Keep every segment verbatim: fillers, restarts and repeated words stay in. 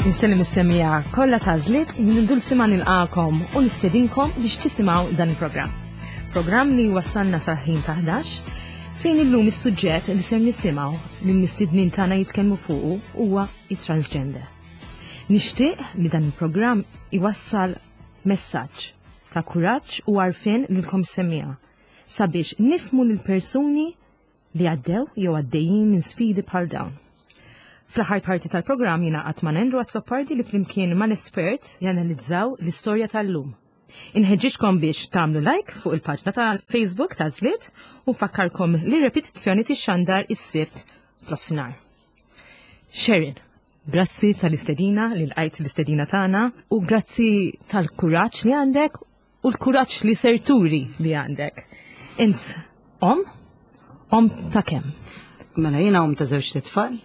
Insellem is-semmiegħa kollha ta' Għażliet, jien Dulcima nilqagħkom u nistedinkom biex tisimgħu dan il-programm. Programm li wasalna sal-ħin ta' ħdax, fejn illum is-suġġett li ser nisimgħu li l-mistednin tagħna jitkellmu fuqu huwa it-transgender. Nixtieq li dan il-programm iwassal messaġġ ta' kuraġġ u għarfien lilkom semmiegħa sabiex nifhmu lil persuni li għaddew jew għaddejjin minn sfidi bħal dawn. Fl-aħħar parti tal-programm jingħaqad ma' Andrew Azzopardi li flimkien mal-espert janalizzaw l-istorja tal-lum. Inħeġġiġkom biex tagħmlu like fuq il-paġna ta' Facebook ta' Għażliet u nfakkarkom li repetizzjoni tixxandar is-Sibt f'nofsinhar. Sharon, grazzi tal-istedina li lqajt l-istedina tagħna u grazzi tal-kuraġġ li għandek u l-kuraġġ li ser turi li għandek. Int om? Om ta' kemm? Mela, jiena om ta' żewġ tfal,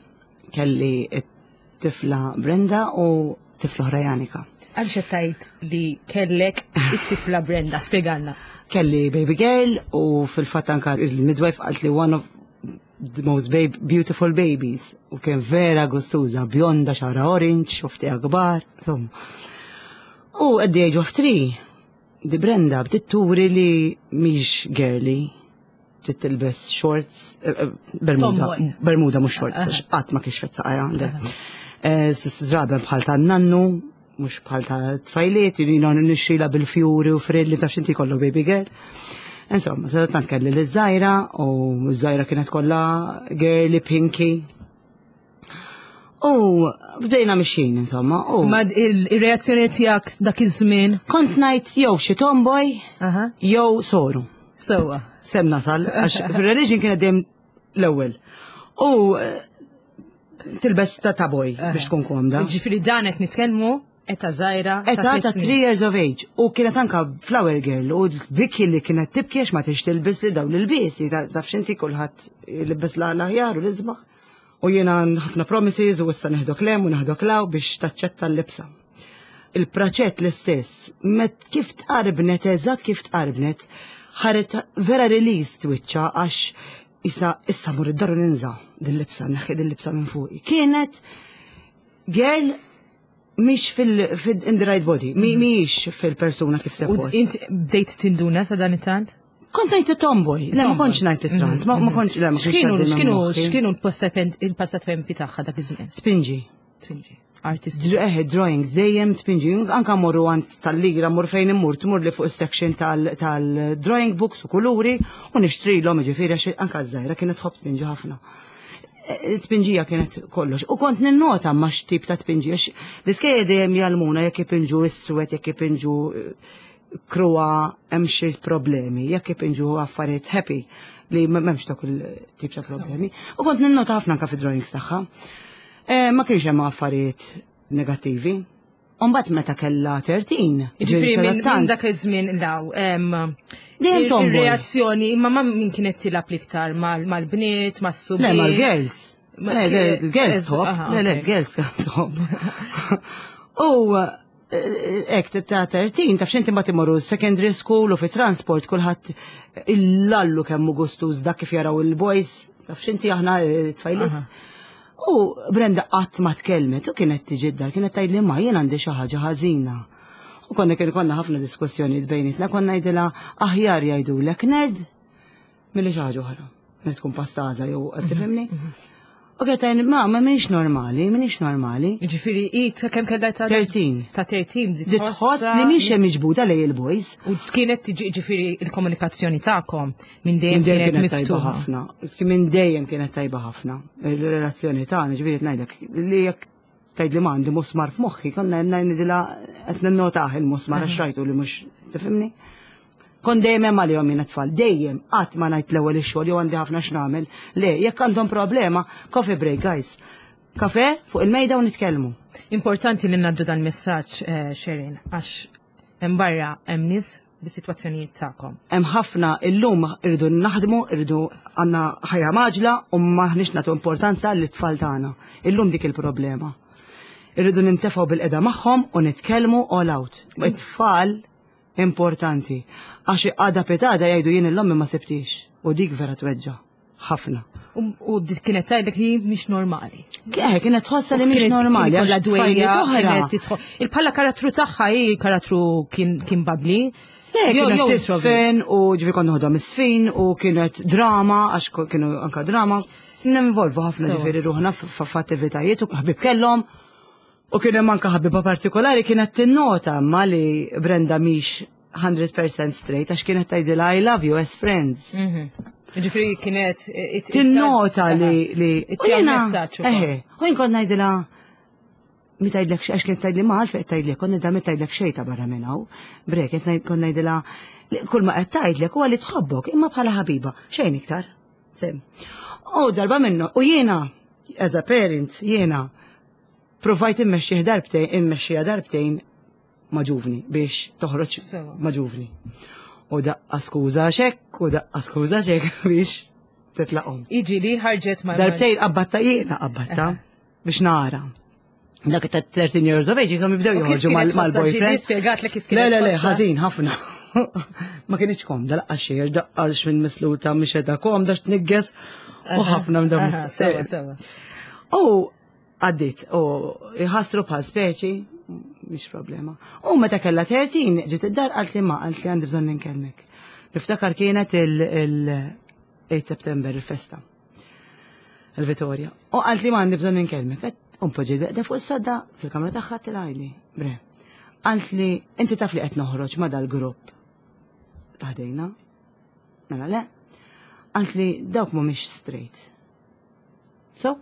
kelli it-tifla Brenda u tifla oħra Janika. Għalx tajt li kellek it-tifla Brenda, spiegalna. Kelli baby girl u fil-fatt anka il-midwife qalt li one of the most babe, beautiful babies u kien vera gustuża, bjonda, xagħarha orange, xufftejha kbar, insomma. U at the age of three, di Brenda bdiet turi li mhix girly, trid tilbes shorts, eh, eh, bermuda, Tomboy. Bermuda mhux shorts, għax qatt ma kixfet saqajha għandek. Żraben bħal ta' nannu, mhux bħal ta' tfajliet, jiena nixtrila bil-fjuri u frilli, taf x'inti, kollu baby girl. Insomma, sadattant kelli l-żgħira u ż-żgħira kienet kollha girly, pinky. U bdejna mixjin, insomma. U Ma il-reazzjoni tiegħek dak iż-żmien? Kont ngħid jew xi tomboy Aha. jew soru. Sewwa. Sem nasal, għax fil-religion kienet dejjem l-ewwel. U eh, tilbes ta' ta' boy biex tkun komda. Ġifieri dan qed nitkellmu età żgħira. Età ta' tliet snin. three years of age. U kienet anka flower girl u biki li kienet tibki għax ma tix tilbes li dawn l-ilbiesi. Taf x'inti, kulħadd libes la l-aħjar u l-isbaħ. U jiena ħafna promises u issa neħdok lem u neħdok law biex taċċetta l-libsa. Il-praċett l-istess, met kif tqarbnet, eżatt kif tqarbnet, ħaret vera release twiċċa għax issa issa mur id-dar u ninża' din-libsa, neħħi din-libsa minn fuqi. Kienet girl mhix fil, fil in the right body, mi mhix fil-persuna kif U suppost. int bdejt tinduna sa dan it-tant? Kont ngħid tomboy, le, ma kontx ngħid trans, ma ma kontx, le, ma kontx X'kienu għaddi minn x'kienu moħħi. x'kienu l-passatempi tagħha dak iż-żmien? Tpinġi. Tpinġi. Artist. Dr- Eh, drawings, dejjem tpinġi. Anka morru għand tal-ligra, mur fejn immur, tmur li fuq is-section tal-drawing books u kuluri u nixtrilhom, ġifieri, għax anka ż-żgħira kienet tħobb tpinġi ħafna. Eh, Tpinġija kienet kollox. U kont ninnota ma x'tip ta' tpinġi, għax l-iskejjel dejjem jgħallmuna jekk ipinġu iswed, jekk ipinġu eh, kruha, hemm xi problemi, jekk ipinġu affarijiet happy li m'hemmx dak il-tip ta' problemi. U kont ninnota ħafna anka fi-drawings tagħha. Eh, Ma kienx hemm affarijiet negattivi. Umbagħad meta kellha tlettax. Ġifieri minn minn sadattant- dak iż-żmien law. em, Dejjem il- tomboy. Il-reazzjoni, imma ma min kienet tilgħab l-iktar mal-bniet, mas-subien? Le, mal-girls. Ma- Le, le, girls Ez- tħobb. aha, Le, le, ok. girls tħobb. U ek ta' tlettax, taf x'inti, ma timorru secondary school u fi transport kulħadd illallu kemm hu gustuż dak kif jaraw il-boys, taf x'inti, aħna eh, tfajliet. U Brenda qatt ma tkellmet u kienet tiġi d-dar, kienet tgħidli: "Ma jien għandi xi ħaġa ħażina." U konna kien konna ħafna diskussjonijiet bejnietna, konna ngħidilha aħjar jgħidulek nerd milli xi ħaġa oħra. Milli tkun pastaża jew qed tifhimni? U kienet tgħidli: ma ma m'iniex normali, m'iniex normali." Ġifieri i ta' kemm kellha ta' tlettax. Ta' tlettax. Di tħoss li mhix hemm miġbuda lej il-boys. U kienet tiġi, ġifieri il-komunikazzjoni tagħkom minn dejjem Minn dejjem kienet kienet tajba miftuħa. ħafna. Minn dejjem kienet tajba ħafna. Il-relazzjoni tagħna, ġifieri ngħidlek li jekk tgħid li m'għandi musmar f'moħħi, konna ngħidilha qed ninnotah il-musmar għax rajtu li mhux, tifhimni? Kon dejjem hemm għalihom jiena tfal, dejjem, qatt ma ngħid l-ewwel ix-xogħol jew għandi ħafna x'nagħmel. Le, jekk għandhom problema, coffee break, guys. Kafe fuq il-mejda u nitkellmu. Importanti li ngħaddu dan messaġġ, eh, Sharon, għax hemm barra hemm nies bis-sitwazzjonijiet tagħkom. Hemm ħafna illum, irridu naħdmu, irridu għandna ħajja mgħaġġla u maħniex nagħtu importanza lit-tfal tagħna. Illum dik il-problema. Irridu nintefgħu bilqiegħda magħhom u nitkellmu all out. It-tfal importanti. Għax għada pitgħada jgħidu: "Jien 'l ommi ma sibtix." U dik vera tweġġa'. Ħafna. U u dik kienet tgħidlek li mhix normali. Eh, kienet tħossha li mhix Kienet- normali, kien għax ikollha tfajliet dwejja, oħra. kienet tidħol- Il-bħala karattru tagħha hi karattru kien kien bubbly. Le, Jew- kienet jew tisfen u ġifi kont noħodhom isfin u kienet drama, għax ko- kienu anka drama. Ninvolvu ħafna Sewa. ġifieri ruħna f- f'attivitajiet u ħbib kellhom. U kien hemm anka ħabiba partikolari kienet tinnota ma li Brenda mhix one hundred percent straight, għax kienet tgħidilha, "I love you as friends." Mhm. Ġifieri kienet it- it- Tinnota li li It u jiena- messaġġ ukoll. Eħe, u jien kont ngħidilha, mi tgħidlek xejn, għax kienet tgħidli ma għalfejn tgħidlek, kont ngħidilha mi tgħidlek xejn ta' barra minn hawn. Brek, qed ngħid- kont ngħidilha li kull ma qed tgħidlek huwa li tħobbok imma bħala ħabiba, xejn iktar. Sem. U darba minnu, u jiena, as a parent, jiena provajt immexxih darbtejn, immexxija darbtejn ma' ġuvni biex toħroġ Sewa. ma' ġuvni. U daqqa skuża xek, u daqqa skuża xek biex titlaqhom. Iġi li ħarġet ma' Darbtejn qabbatta, jiena qabbatta biex nara. Dak ta' thirteen years of age jisom jibdew U kif joħorġu kienet tħossha? mal-boyfriend. Ġieli spjegatlek kif Le, kienet le, le, tħossha? ħażin ħafna. Ma kienx komda, laqqa xejn, daqqa minn misluta mhix qiegħda komda x'tnigges u ħafna minn dawn. Aha, Sewa, sewa. U għaddit, u jħassru bħal speċi, mhix problema. U meta kella tlettax, ġiet id-dar, qalt li ma, qalt li għandi bżonn ninkellmek. Niftakar kienet il-eight September, il-festa. Il-Vittoria. U qalt li ma għandi bżonn ninkellmek. Għedt, Un poġġi beqda fuq is-sodda fil-kamra tagħha tilgħajli. Bre. Qalt li inti taf li qed noħroġ ma dal-grupp. Taħdejna. Mela le. Qalt li dawk mhumiex straight. So,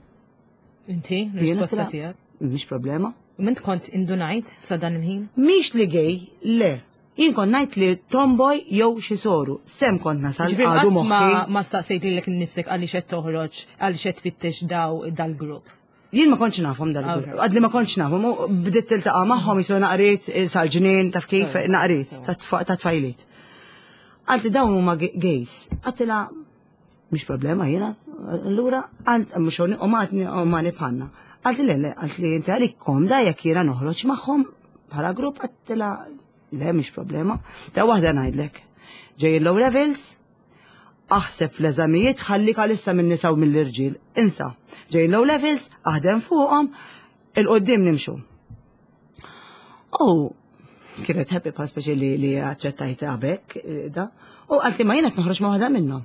Inti, jiena l-risposta tila- tiegħek. Mhix problema. U mint kont indunajt sa dan il-ħin? Mhix li gay, le. Jien kont ngħid li tomboy jew xi soru. Sem kont nasal Ġifieri għadu qatt ma moħħi. ma staqsejt lilek innifsek għaliex qed toħroġ, għaliex qed tfittex daw dal-grupp. Jien ma kontx nafhom dal-grupp. Okay. Għadli ma kontx nafhom. U bdiet tiltaqa' magħhom jisu naqriet eh, sal-ġnien taf kif Sewa, naqriet sewa. ta' tfa- ta' tfajliet. Għalt li dawn huma ga- gays. Għedtilha mhix problema jiena. Allura għalt mhux u ma u ma nibħanna. Għalt li le, le, għalt li inti għalik komda jekk jiena noħroġ magħhom bħala grupp, għedtilha le, mhix problema. Ta' waħda ngħidlek. Ġej il-O levels, aħseb fl-eżamijiet, ħallik għalissa minn nisa u mill-irġiel. Insa, ġej l-O levels, aħdem fuqhom, il-qoddim nimxu. U kienet happy pa speċi li li aċċettajt għabek eh, da. U għalti ma jiena noħroġ ma waħda minnhom.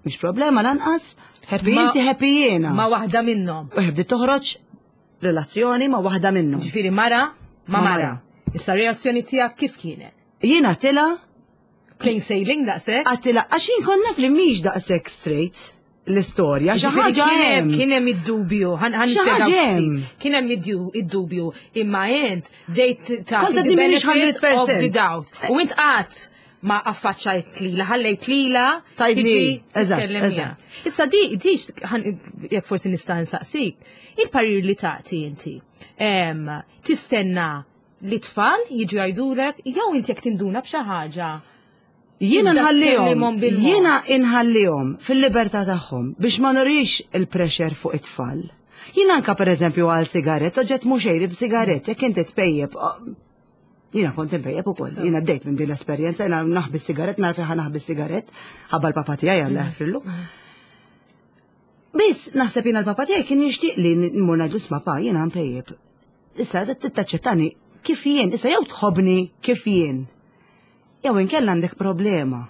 Mhix problema lanqas, happy Ma- inti, happy jiena. Ma waħda minnhom. U bdiet toħroġ relazzjoni ma waħda minnhom. Ġifieri mara ma Ma mara. mara. Issa reazzjoni tiegħek kif kienet? Jiena tila Plain sailing daqshekk? għedtilha għax jien konna fli mhix daqshekk straight l-istorja, xi Ġifieri ħaġa kien hemm hemm. kien hemm id-dubju, ħan ħan Xi nispjegaw ħaġa hemm. ftit. Kien hemm id-du- id-dubju, imma int bdejt Kont tagħti the għaddi m'iniex benefit of one hundred percent. the doubt. U int qatt ma affaċċajt lila, ħallejt lila Tgħidli, tiġi eżatt, titkellem eżatt. miegħek. Issa di di ħan- jekk forsi nista' nsaqsik, il-parir li tagħti inti. Em, Tistenna li tfal jiġu jgħidulek jew inti jekk tinduna b'xi ħaġa? Jiena Tibda nħallihom, tkellimhom bil-mod. Jiena inħallihom fil-libertà tagħhom biex ma nurix il-pressure fuq it-tfal. Jiena anka per eżempju għal sigaret, oġġett mhux xejri b'sigaret, jekk inti tpejjeb, oh, jiena kont impejjeb ukoll, jiena għaddejt minn din l-esperjenza, jiena naħbi sigaret, naraf ħa naħbi sigaret, ħabba l-papa tiegħi, Alla jaħfrillu. Biss naħseb jiena l-papa tiegħi kien jixtieq li nmur ngħidlu, "Isma' pa, jiena mpejjeb. Issa taċċettani kif jien, issa jew tħobni kif jien. Jew inkella għandek problema."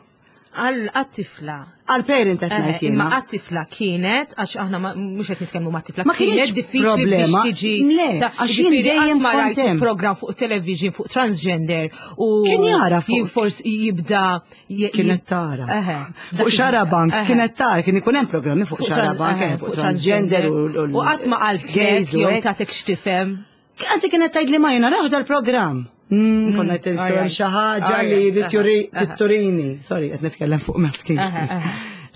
Għal għat-tifla. Għal parent qed Eh, ngħid Imma jiena. għat-tifla kienet, għax aħna ma- mhux qed nitkellmu ma' tifla, Ma kienet kienx diffiċli problema. biex tiġi. Le, ta' għax jien ġifieri dejjem qatt ma kont rajt hemm. program fuq television fuq transgender u Kien jara fuq- jien forsi jibda j- Kienet tara. Eħe. Fuq Xarabank, Eħe. kienet tara, kien ikun hemm programmi fuq Fuq tran- Xarabank, eħe, eh, fuq transgender u U qatt ma qaltlek gays u jew hekk. tatek x'tifhem. Anzi kienet tgħid li ma jiena raħu dal-programm. Mm, Konna qed alright. xi ħaġa li Alright, trid aha, turini. Sorry, qed nitkellem fuq maskil. Aha, aha.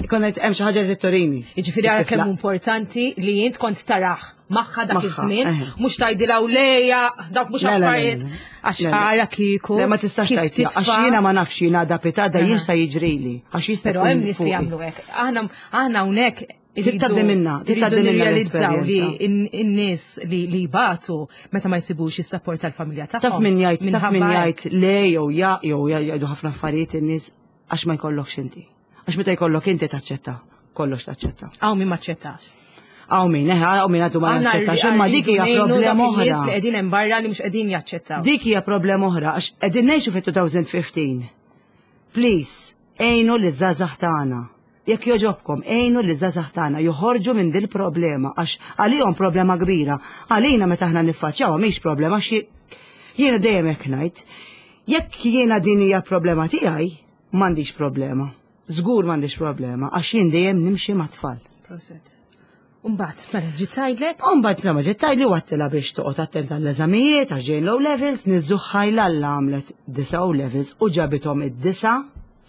Konna qed hemm xi ħaġa li turini. Jiġifieri ara kemm importanti li jint kont taraħ magħha dak Magħha, iż-żmien, eħe. mhux tgħidilha u leja, dak mhux Le, le, le, affarijiet, le, le. għax Le, le. ara kieku. Le, ma tistax kif tgħid, għax titfa' jiena ma nafx jiena da pitada Aha. jista' jiġrili. Għax jista' Però tkun hemm nies li fuqi. jagħmlu hekk. Aħna aħna hawnhekk Trid tgħaddi minna, trid irridu tgħaddi minna nirrealizzaw li l-esperjenza. in- in-nies li li jbatu meta ma jsibux is-sapport tal-familja tagħhom. Taf min jgħid, taf min Minħabba hekk. jgħid le jew ja jew jgħidu ħafna affarijiet in-nies għax ma jkollokx inti. Għax meta jkollok inti taċċetta. Kollox taċċetta. Hawn min maċċettax. Hawn min, eh, hawn min għadu ma jaċċettax, imma dik hija problema oħra. Nies li qegħdin hemm barra li mhux qegħdin jaċċettaw. Dik hija problema oħra, għax qegħdin ngħixu fit-elfejn u ħmistax. Please, għinu liż-żgħażagħ tagħna. Jekk jogħġobkom, għinu liż-żgħażagħ tagħna joħorġu minn dil problema, għax għalihom problema kbira. Għalina meta aħna niffaċċjawha mhix problema, għax jiena dejjem hekk ngħid. Jekk jiena din hija problema tiegħi, m'għandix problema. Żgur m'għandix problema, għax jien dejjem nimxi mat-tfal. Prosit. Umbagħad, mela ġiet tgħidlek? Umbagħad insomma ġiet tgħidli u għedtilha biex toqgħod attenta l-eżamijiet għax ġejn O levels, niżżuħħa l-alla għamlet disa O levels u ġabithom id-disa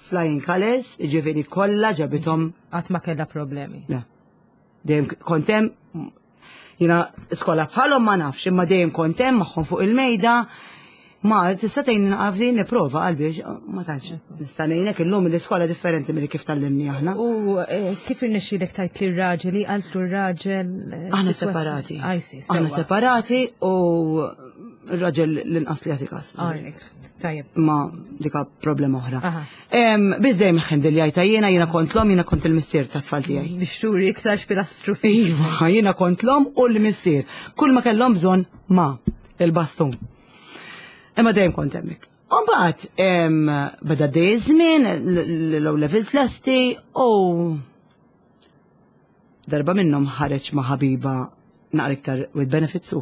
flying colors, ġifieri kollha ġabithom. Qatt ma kellha problemi. Le. Dejjem kont hemm, jiena skola bħalhom ma nafx, imma dejjem kont hemm magħhom fuq il-mejda. Ma tista' tgħin naqafdi nipprova qalbi, ma tantx nista' ngħinek illum l-iskola differenti milli kif tgħallimni aħna. U eh, kif irnexxielek tgħid lir-raġel li qaltlu r-raġel? eh, Aħna sitwazzjoni? separati. I see, Aħna sewwa. separati u r-raġel l-inqas li jagħti kas. Alright, tajjeb. Ma dika problema oħra. Aha. Biss dejjem ħendil jajta jiena, jiena kont l-omm, jiena kont il-missier ta' tfal tiegħi. Biex turi iktar x'pilastru fik. Iva, jiena kont l-omm u l-missier. Kull ma kellhom bżonn ma il-bastun. Imma dejjem kont hemmhekk. U mbagħad em, beda dej żmien, l-O levels lesti u darba minnhom ħareġ ma' ħabiba naqra iktar with benefits u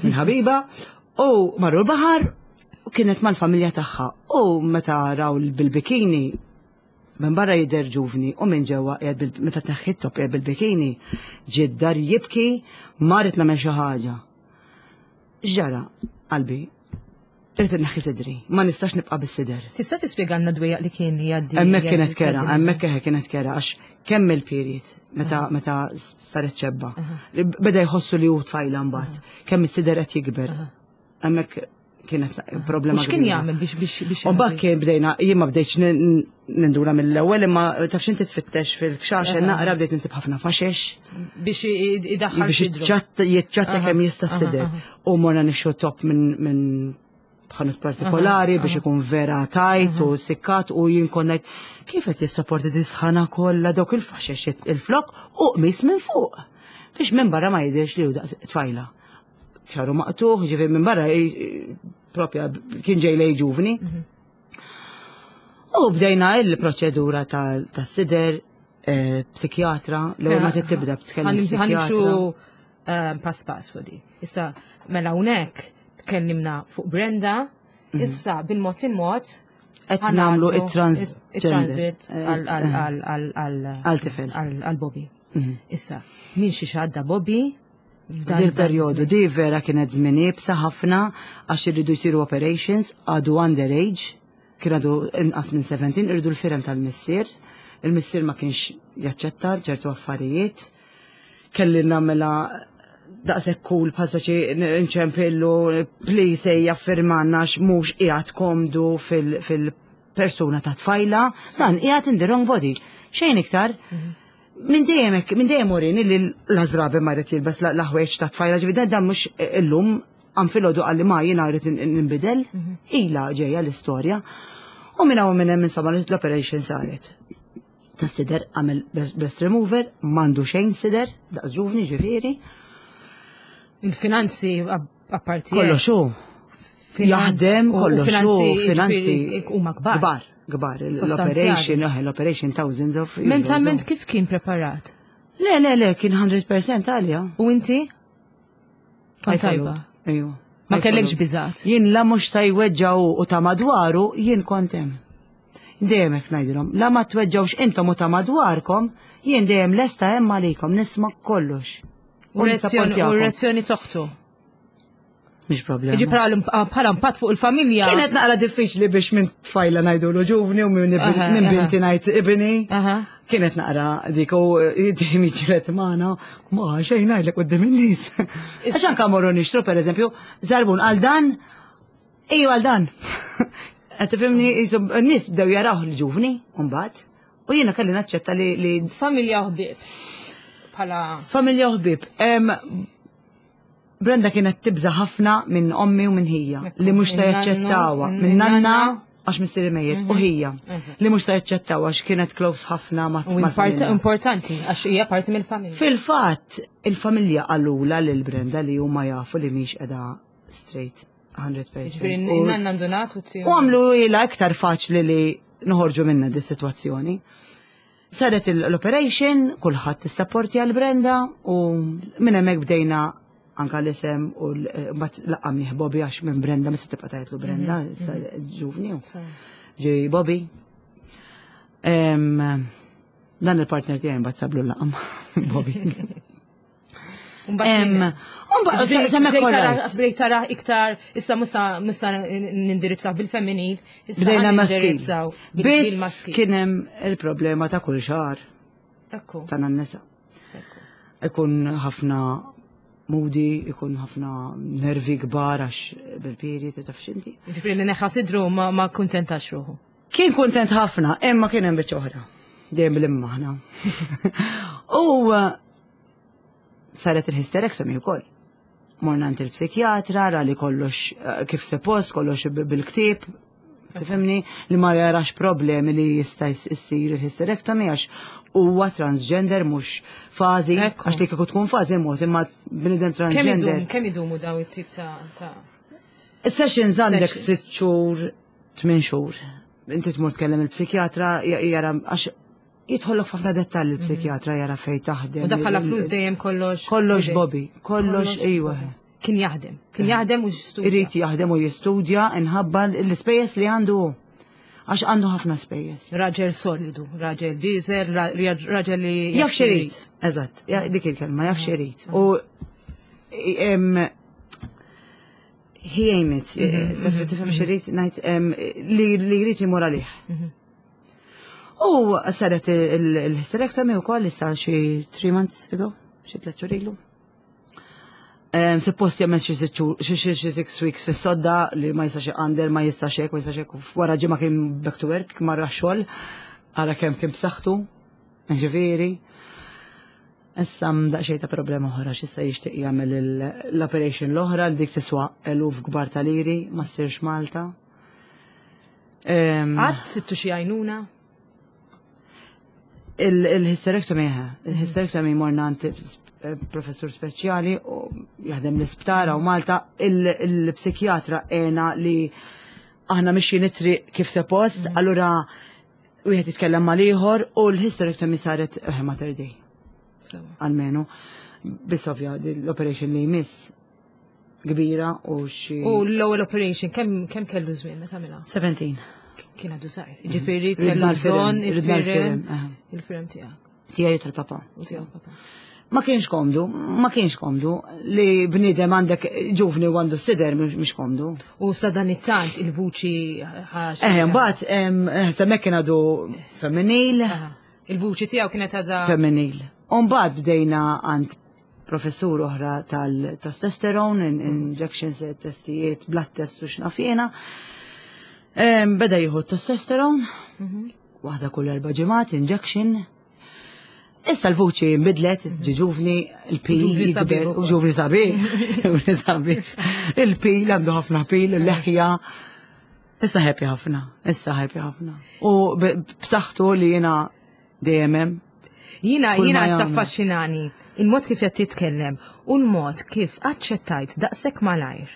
minn ħabiba u marru l-baħar u kienet mal-familja tagħha u meta raw bil-bikini minn barra jidher ġuvni u minn ġewwa qiegħed bil- meta tneħħi top qiegħed bil-bikini ġie d-dar jibki ma rrid nagħmel xi ħaġa. Ġara, qalbi, irrid inneħħi sidri, ma nistax nibqa' bis-sider. Tista' tispjegalna dwejjaq li kien jgħaddi? Hemmhekk kienet jgħaddi- kera, hemmhekk eħe kienet kera, għax kemm il-period, meta meta saret ċebba. Beda jħossu li hu tfajla mbagħad, kemm is-sider qed jikber. Hemmhekk kienet problema U x'kien kbira. jagħmel biex biex biex U mbagħad kien bdejna, jien ma bdejtx nin- ninduna mill-ewwel, imma taf x'inti tfittex fil-kxaxen naqra bdejt insib ħafna faxex biex i- idaħħal biex sidru. jiċċatta jiċċatta Aha, kemm jista' aha, sider. aha. U morna nixtru top minn minn ħanut partikolari biex ikun vera tajt u sikkat u jien kont ngħid kif qed jissapporti dis-sħana kollha dawk il-faxex il-flok u qmis minn fuq. Biex minn barra ma jidhirx li hu daqs tfajla. Xagħru maqtugħ, ġifieri minn barra i- propja kien ġej lej ġuvni. U bdejna il-proċedura tas-sider, eh, psikjatra, l-ewwel ma tibda b'tkellem Ħa nimxu psikjatra. eh, pass pass fuq di. Issa, mela hawnhekk tkellimna fuq Brenda, issa bil-mod il-mod Qed nagħmlu it-trans- it-transit eh, għal għal għal għal għal Għal tifel. għal għal Bobby. Mhm. Issa, min xi għadda Bobby f'dan- Dil dan perjodu iż-żmien? di vera kienet żmien iebsa ħafna għax irridu jsiru operations għadu underage, kien għadu inqas minn sittax, irridu l-firem tal-missier. Il-missier ma kienx jaċċetta ċertu affarijiet. Kelli nagħmilha daqshekk cool bħal speċi nċempillu please ejja firmanna għax mhux qiegħed komdu fil- fil-persuna ta' tfajla, dan qiegħed in the wrong body. Xejn iktar. Minn dejjem hekk- minn dejjem urini li l-azrabi ma jrid jilbes la- l-ħwejġ ta' tfajla, ġifieri dan dan mhux illum għam filgħodu qalli ma jiena rrid ninbidel, ila ġejja l-istorja. U minn hawn minn hemm insomma l-operation saret. Ta' sider għamel breast remover, m'għandu xejn sider, daqs ġuvni ġifieri. Il-finanzi apparti. Kollox hu. Jaħdem kollox hu, finanzi. ġifieri huma kbar. Kbar, kbar. Sostanzjali. L-operation, eh, l-operation thousands of euros. Mentalment kif kien preparat? Le, le, le, kien mija fil-mija għalja. U inti? Kont tajba. Ejwa. Ma kellekx biżat. Jien la mhux ta' jweġġaw u ta' madwaru, jien kont hemm. Dejjem hekk ngħidilhom, la ma tweġġawx intom u ta' madwarkom, jien dejjem lesta hemm għalikom nisma' kollox. U reazzjoni u nisapportjakom. reazzjoni toħtu. Mhix problema. Iġi bħala impatt fuq il-familja. Kienet naqra diffiċli biex minn tfajla ngħidulu ġuvni u minn Aha, minn aha. binti ngħid ibni. Aha. Kienet naqra dik u dejjem jiġġieled magħna, ma xejn ngħidlek quddiem in-nies. Għax anke morru nixtru pereżempju, żarbun għal dan, iju għal dan. Qed tifhimni jisom n-nies bdew jaraw l-ġuvni mbagħad u jiena kelli naċċetta li li Familja u ħbieb. Bħala. Familja u ħbieb. Em, Brenda kienet tibża ħafna minn ommi u minn ħija li mhux se Minn jaċċettawha. nannu, Minn nanna Għax missieri mejjet, u ħija. Eżatt. Li mhux ta' jaċċettaw għax kienet close ħafna ma' U mal-familja. importanti, għax hija parti mill-familja. Fil-fatt, il-familja qalulha lil Brenda li huma jafu li mhix qiegħda straight mija fil-mija. Ġifieri U- nanna ndunat u U għamlu ila iktar faċli li noħorġu minna di situazzjoni. Saret l-operation, kulħadd issapporti għal Brenda u minn hemmhekk bdejna anka l-isem u l- mbagħad laqqamnieh Bobby għax minn Brenda mista tibqa' tgħidlu Brenda, issa ġuvni. u Ġej Bobby. Em, Dan il-partner tiegħi mbagħad sablu l-laqam Bobby. Em, u mbagħad semmek all Bdejt tara iktar, issa musa musa nindirizzaw bil-femminil, issa Bdejna maskil. nindirizzaw Biss bil-maskil. kien hemm il-problema ta' kull xahar Ekku. ta' nisa. ekku. Ikun ħafna moody, ikun ħafna nervi kbar għax bil-period, taf x'inti. Ġifieri li neħħa sidru ma ma kuntentax ruħu. Kien kontent ħafna, imma kien hemm biċċa oħra. Dejjem bil-imma aħna. U uh, saret il-hysterectomy wkoll. Morna għand il-psikjatra, ra li kollox uh, kif suppost, kollox b- bil-ktieb, tifhimni, li ma jarax problemi li jista' jsir il-hysterectomy għax huwa transgender mhux fażi, Ekku. għax li kieku tkun fażi mod imma bniedem Kemm transgender. idum, kemm idumu daw it-tip ta' ta' Sessions għandek Sessions. sitt xhur, tmien xhur. Inti tmur tkellem il-psikjatra, jara għax jidħollok f'ħafna dettalji il-psikjatra jara fej taħdem. U da bħala flus dejjem kollox. Kollox idej. Bobby, kollox iwa. Kien jaħdem, kien jaħdem u studja. Irid jaħdem u jistudja inħabba l-ispejjeż li għandu hu. Għax għandu ħafna spejjeż. Raġel solidu, raġel biżel, ra- raġel li Jaf x'irid. Eżatt, ja- dik il-kelma, jaf x'irid. U em, he aim it, taf- tifhem x'irid ngħid em, li li jrid imur għalih. U saret il-hysterectomy u koll issa xi three months ago, xi tliet xhur ilu. Em, Suppost jagħmel xi sitt xhur- xi xi xi six weeks fis-sodda li ma jistax iqander, ma jistax hekk, ma jistax hekk. Wara ġimgħa kien back to work, marra xogħol, ara kemm kien b'saħħtu, ġifieri. Issa daqsxejn ta' problema oħra x'issa jixtieq jagħmel il- l-operation l-oħra li dik tiswa eluf kbar ta' liri ma ssirx Malta. Em, Qatt sibtu xi għajnuna? Il-hysterectomy eħe, il-hysterectomy morna għand eh, professur speċjali u jaħdem l-isptar u Malta, il-psikjatra għena li aħna mixi nitri kif suppost, allura wieħed jitkellem mal-ieħor u l-hysterectomy saret eh, Mater Dei, Sewa. almenu. Biss ovvja, l-operation li jmiss kbira u xi. U l-ewwel operation kemm kemm kellu żmien meta għamilha? sebatax. Kien għadu żgħir. Ġifieri Ridna kellu l-firem, bżonn ridna il-firem. l-firem, aha. Il-firem tiegħek. Tiegħi tal-papa. U tiegħek papa. Ma kienx komdu, ma kienx komdu li bniedem għandek ġuvni u għandu sider mhux komdu. U sa dan it-tant il-vuċi ħax. Eh, mbagħad em, eh, semmek kien għadu femminil, Aha. Il-vuċi tiegħu kienet għadha. femminil. U mbagħad bdejna għand professur oħra tal-testosterone, in- injections, testijiet, blood test u x'naf jiena. Em, Beda jieħu testosterone, waħda kull erba' ġimgħat, injection. Issa l-vuċi nbidlet, ġi ġuvni, il-pil Ġuvni sabiħ jikber, u ukoll. ġuvni sabiħ, ġuvni sabiħ. Il-pil għandu ħafna pil, il-leħja. Issa happy ħafna, issa happy ħafna. U b- b'saħħtu li jiena dejjem hemm. Jina, Kull jina ma jagħmel. taffaxxinani il-mod kif qed titkellem u l-mod kif aċċettajt daqshekk malajr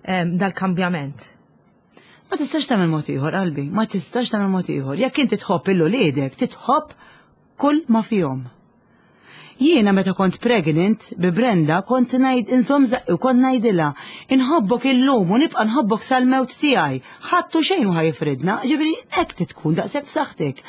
em, dal-kambjament. Ma tistax tagħmel mod ieħor qalbi, ma tistax tagħmel mod ieħor. Jekk inti tħobb lil uliedek, titħobb kull ma fihom. Jiena meta kont pregnant bi Brenda kont ngħid inżomm żaqqi u kont ngħidilha inħobbok illum u nibqa' nħobbok sal-mewt tiegħi. Ħadd u xejn ħa jifridna, ġifieri hekk titkun daqshekk b'saħħtek.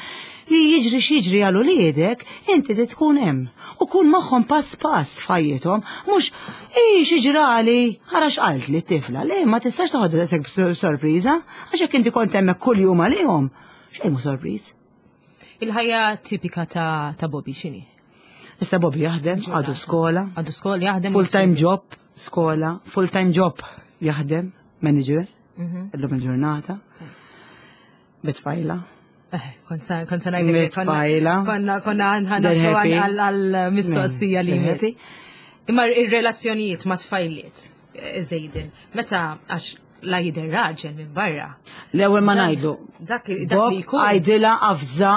Li jiġri x'jiġri għal uliedek, inti tkun hemm. U kun magħhom pass pass f'ħajjithom, mhux i xi ġrali, ħara x'qalt li t-tifla, le ma tistax toħodha daqshekk b'sorpriża, għax jekk inti kont hemmhekk kuljum għalihom, xejn mhu sorpriż. Il-ħajja tipika ta' ta' Bobby x'inhi? Issa Bobby jaħdem, għadu skola, Għadu skola jaħdem. full-time job, skola, full-time job jaħdem, manager, Mhm. illum il-ġurnata, bit-tfajla. Eh, Kont sa kont sa ngħidlek konna Mit-tfajla. konna konna They're ħanaslu happy. għal-mistoqsija li They're jmiss. happy. Imma ir-relazzjonijiet ma' tfajliet, eh, Żejden, meta għax La jidher raġel minn barra. L-ewwel ma ngħidlu. Dak dak li jkun. Għajdilha avża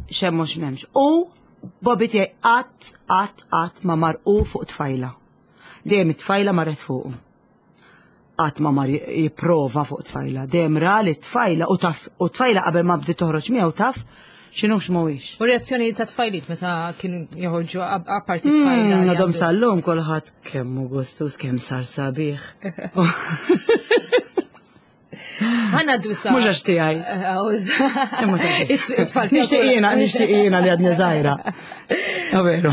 x'hemm mhux m'hemmx. U Bobby tiegħi qatt qatt qatt ma marqu fuq tfajla. Dejjem it-tfajla marret fuqu. Qatt ma mar jipprova fuq tfajla. Dejjem ra li tfajla u taf u tfajla qabel ma bdiet toħroġ miegħu taf x'inhu x'mhuwiex. U reazzjoni ta' tfajliet meta kienu joħorġu apparti tfajla. Hmm, għadhom sal-lum kulħadd kemm hu gustus, kemm sar sabiħ. Ħana dusa. Mhux għax tiegħi. Nixtieq jiena, nixtieq jiena li għadni żgħira. Veru.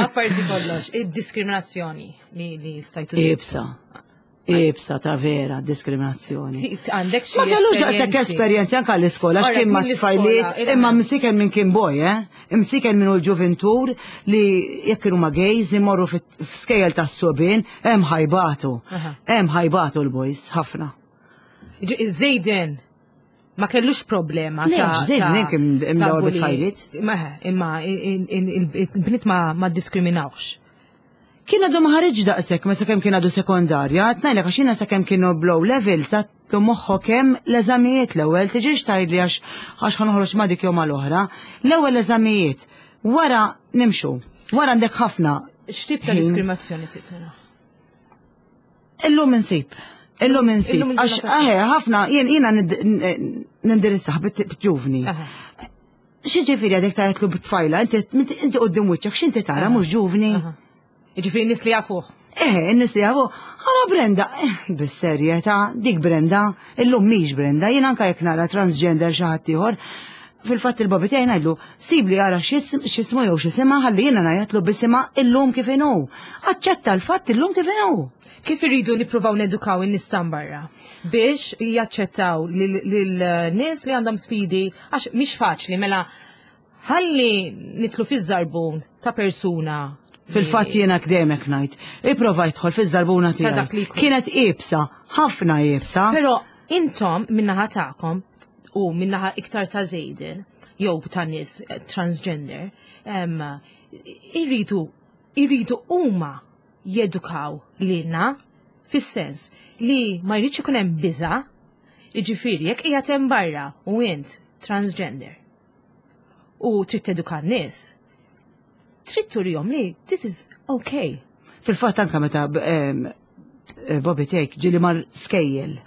Apparti kollox, id-diskriminazzjoni li stajtu. Ibsa. Ibsa ta' vera diskriminazzjoni. Għandek xi Ma kellux daqshekk esperjenzi anke l-iskola għax kien ma' tfajliet, imma msiken minn kien boy, eh? Msiken minn l-ġuventur li jekk kienu ma' gays imorru f'skejjel tas-subien, hemm ħajbatu. Hemm ħajbatu l-boys ħafna. Zejden ma kellux problema. Le, Zejden kien imdawar bit-tfajliet. Imma il-bniet ma diskriminawx. Kien għadu ma ħareġ daqshekk ma sakemm kien għadu sekondarja, tnajlek għax jiena sakemm kienu blow level sattu moħħu kemm l-eżamijiet l-ewwel tiġix tgħidli għax għax ħanoħroġ ma dik jew mal-oħra. L-ewwel eżamijiet, wara nimxu, wara għandek ħafna. X'tip ta' diskriminazzjoni sibtuna? Illum insib. Illum insib. Għax eħe ħafna jien jiena nindirizzaħ bit-ġuvni. Xi ġifieri għadek tgħidlu bit-tfajla, inti quddiem wiċċek x'inti tara mhux ġuvni? Ġifieri nies li jafuh. Eh, nies li jafuh. Għala Brenda, eh, bis-serjetà, dik Brenda, illum mhix Brenda, jien anke jekk nara transgender xi ħadd ieħor, fil-fatt il-babi tiegħi ngħidlu, sibli ara x'ismu jew x'isimha ħalli jiena ngħidlu bisimha illum kif inhu. Aċċetta l-fatt illum kif inhu. Kif irridu nippruvaw nedukaw in-nies barra biex jaċċettaw lil nies li għandhom sfidi għax mhix faċli mela ħalli nitlu fiż-żarbun ta' persuna. Fil-fatt jiena kdemek ngħid, ipprova jidħol fiż-żarbuna tiegħi. Kienet iebsa, ħafna iebsa. Però intom min-naħa tagħkom u min-naħa iktar ta' Zejden jew ta' nies transgender, irridu irridu huma jedukaw lilna fis-sens li ma jridx ikun hemm biża', jiġifieri jekk qiegħed hemm barra u int transgender u trid teduka n-nies, trid turihom li this is okay. Fil-fatt anka meta Bobby Take ġieli mar skejjel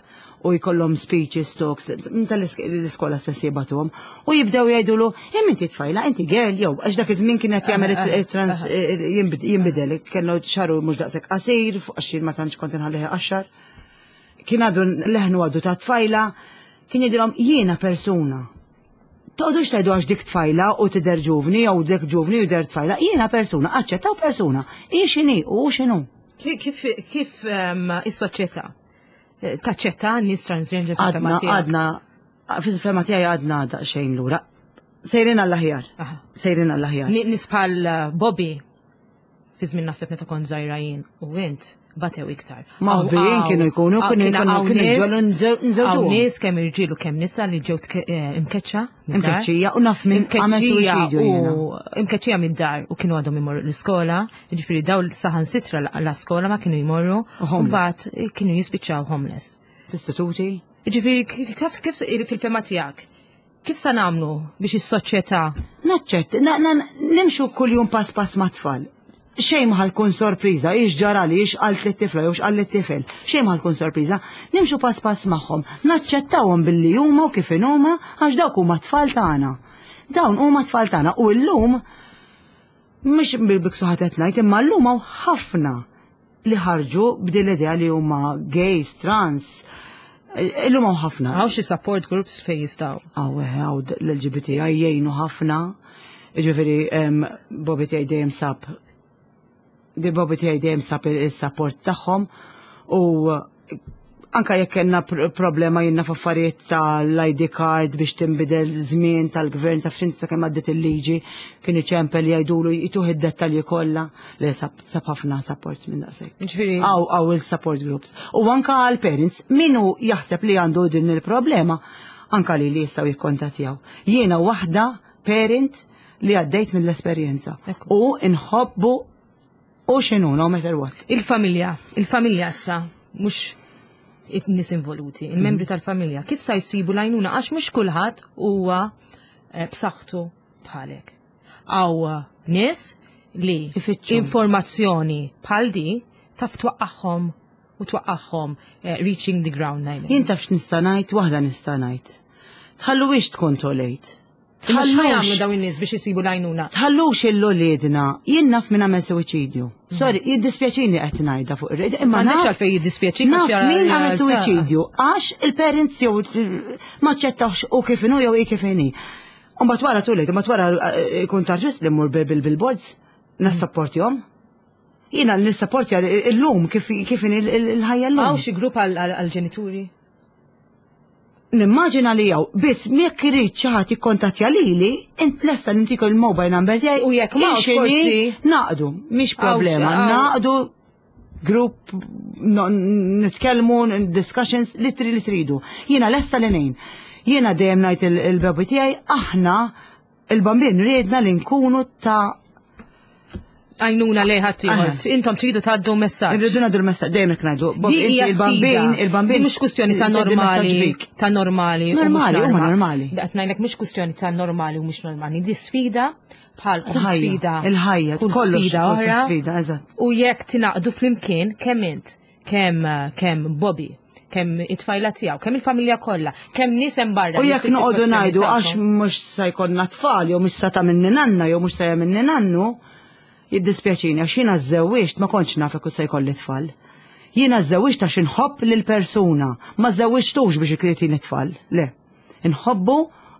u jkollhom speeches, talks, tal-iskola stess jibatuhom u jibdew jgħidulu hemm inti tfajla, inti girl, jew għax dak iż-żmien kienet jagħmel trans jinbidel, kellu xaru mhux daqshekk qasir, għax jien ma tantx kont inħallih qaxxar. Kien għadu leħnu għadu ta' tfajla, kien jgħidilhom jiena persuna. Toqgħodux tgħidu għax dik tfajla u tidher ġuvni jew dik ġuvni u jidher tfajla, jiena persuna, aċċettaw persuna, hi x'inhi u x'inhu. Kif kif is-soċjetà taċċetta nies transgender? Għadna, għadna, fil-fema tiegħi għadna daqsxejn lura. Sejrin għall-aħjar. Sejrin għall-aħjar. Nies bħal Bobby, fi żmien naħseb meta kont żgħira jien u int, batew iktar. Maħbijin kienu jkunu, kienu jkunu, kienu ġolu nżewġu. Nies kemm irġiel u kemm nisa li ġew imkeċċa. Imkeċċija u naf minn għamel suwiċidju jiena. Imkeċċija mid-dar u kienu għadhom imorru l-iskola, ġifieri daw saħansitra l-iskola ma kienu jmorru, u mbagħad kienu jispiċċaw homeless. Istituti? Ġifieri kif kif fil-fema tiegħek, kif sa nagħmlu biex is-soċjetà? Naċċett, nimxu kuljum pass pass ma' tfal. Xejn ma tkun sorpriża, ix ġara li ix qalt lit-tifla jew x'qal lit-tifel. Xejn ma tkun sorpriża, nimxu pass pass magħhom, naċċettawhom billi huma u kif huma għax dawk huma tfal tagħna. Dawn huma tfal tagħna u llum mhux bil-biksu ħadd ngħid, imma llum hawn ħafna li ħarġu b'din l-idea li huma gays, trans. Illum hawn ħafna. Hawn xi support groups fejn jistgħu. Hawn hawn l-L G B T I jgħinu ħafna. Jiġifieri Bobby tiegħi dejjem sab di Bobby tiegħi dejjem sab il-support tagħhom u anka jekk kellna problema jiena f'affarijiet tal-I D card biex tinbidel żmien tal-gvern ta' f'xinti sakemm għaddiet il-liġi kien iċempel jgħidulu jituh id-dettalji kollha li sab, sab ħafna support minn daqshekk. Ġifieri Hawn hawn il-support groups. U anka għal parents min hu jaħseb li għandu din il-problema anka li li jistgħu jikkontattjaw. Jiena waħda parent li għaddejt mill-esperjenza u nħobbu u x'inhu no matter what. Il-familja, il-familja issa mhux In-nies involuti, il-membri tal-familja, kif sa jsibu l-għajnuna, għax mhux kulħadd huwa eh, b'saħħtu bħalek. Hawn nies li Ifittxu. informazzjoni bħal di taf twaqqagħhom u twaqqagħhom eh, reaching the ground ngħidlek. Jien taf x'nista' ngħid, waħda nista' ngħid. Tħalluhiex tkun too late. Imma x'ħa jagħmlu Tħallux dawn in-nies biex isibu l-għajnuna? tħallux lil uliedna, jien naf min għamel suwiċidju. Sorry, jiddispjaċini qed ngħidha fuq ir-radio, imma M'għandekx naf għalfejn jiddispjaċik. Naf għax jara- min għamel jara- suwiċidju għax il-parents jew ma ċċettawx u kif inhu jew hi kif inhi. Umbagħad wara too late, umbagħad wara eh, kun tarġis li mmur bil-billboards, nassapportjahom. Jiena nissapportja illum kif kif inhi il-ħajja llum. Hawn xi grupp għal-ġenituri? Nimmaġina li hawn, biss jekk irid xi ħadd jikkontattja lili, int lesta nintiku il-mobile number tiegħi. U jekk m'hawnx ixini, forsi- Naqdu, mhix problema, Hawn- naqdu grupp, no- nitkellmu, discussions, li tri li tridu. Jiena lesta li ngħin. Jiena dejjem ngħid il- il-baby tiegħi, aħna il-bambin riedna li nkunu ta' Għajnuna lejn ħaddieħor. Aha. Intom tridu tgħaddu messaġġ. Irridu ngħaddu l-messaġġ, dejjem hekk ngħidu. Bob, Di hija inti il-bambin, sfida. il-bambin. Di mhux kwistjoni ta' tgħaddi messaġġ normali, bik. ta' normali. u mhux Normali, huma normali. Qed ngħidlek mhux kwistjoni ta' normali u mhux normali. Di sfida bħal kull Il-ħajja, sfida. il-ħajja, kull kollox, sfida kull oħra. sfida, eżatt. U jekk tingħaqdu flimkien kemm int, kemm kemm Bobby, kemm it-tfajla tiegħu, kemm il-familja kollha, kemm nies hemm barra. U li jekk noqogħdu fis-sitwazzjoni ngħidu għax tagħkom. mhux se jkollna tfal jew mhux sa ta' minni nanna jew mhux se minni nannu, jiddispjaċini għax jiena żewwiġt ma kontx naf jekk se jkolli tfal. Jiena żewwiġt għax inħobb lil persuna, ma żewwiġtux biex jtini tfal. Le. Inħobbu,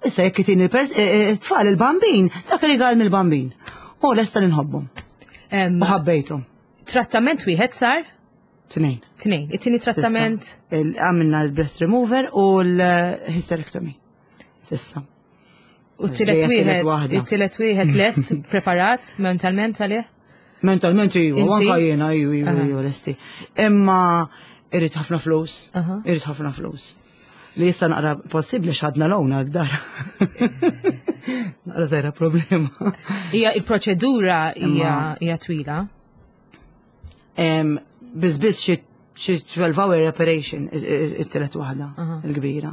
issa jekk itini tfal il-bambin, dak rigal mill-bambin. U lesta li nħobbu. Em, U ħabbejtu. Trattament wieħed sar? Tnejn. Tnejn. It-tieni trattament S'issa. Il- Għamilna l-breast remover u l-hysterectomy. S'issa. u t-tielet Ġejja t-tielet wieħed, waħda. it-tielet wieħed lest preparat mentalment għalih? Mentalment iva, Inti? anka jiena, iva, iva, Aha. iva, lesti. Imma irrid ħafna flus, Aha. irrid ħafna flus. Li issa naqra possibbli x'ħadna loan għad-dar. Naqra żgħira problema. Hija il-proċedura hija Imma- hija twila. Em, Biss biss xi xi twelve hour operation it-tielet waħda, Aha. il-kbira.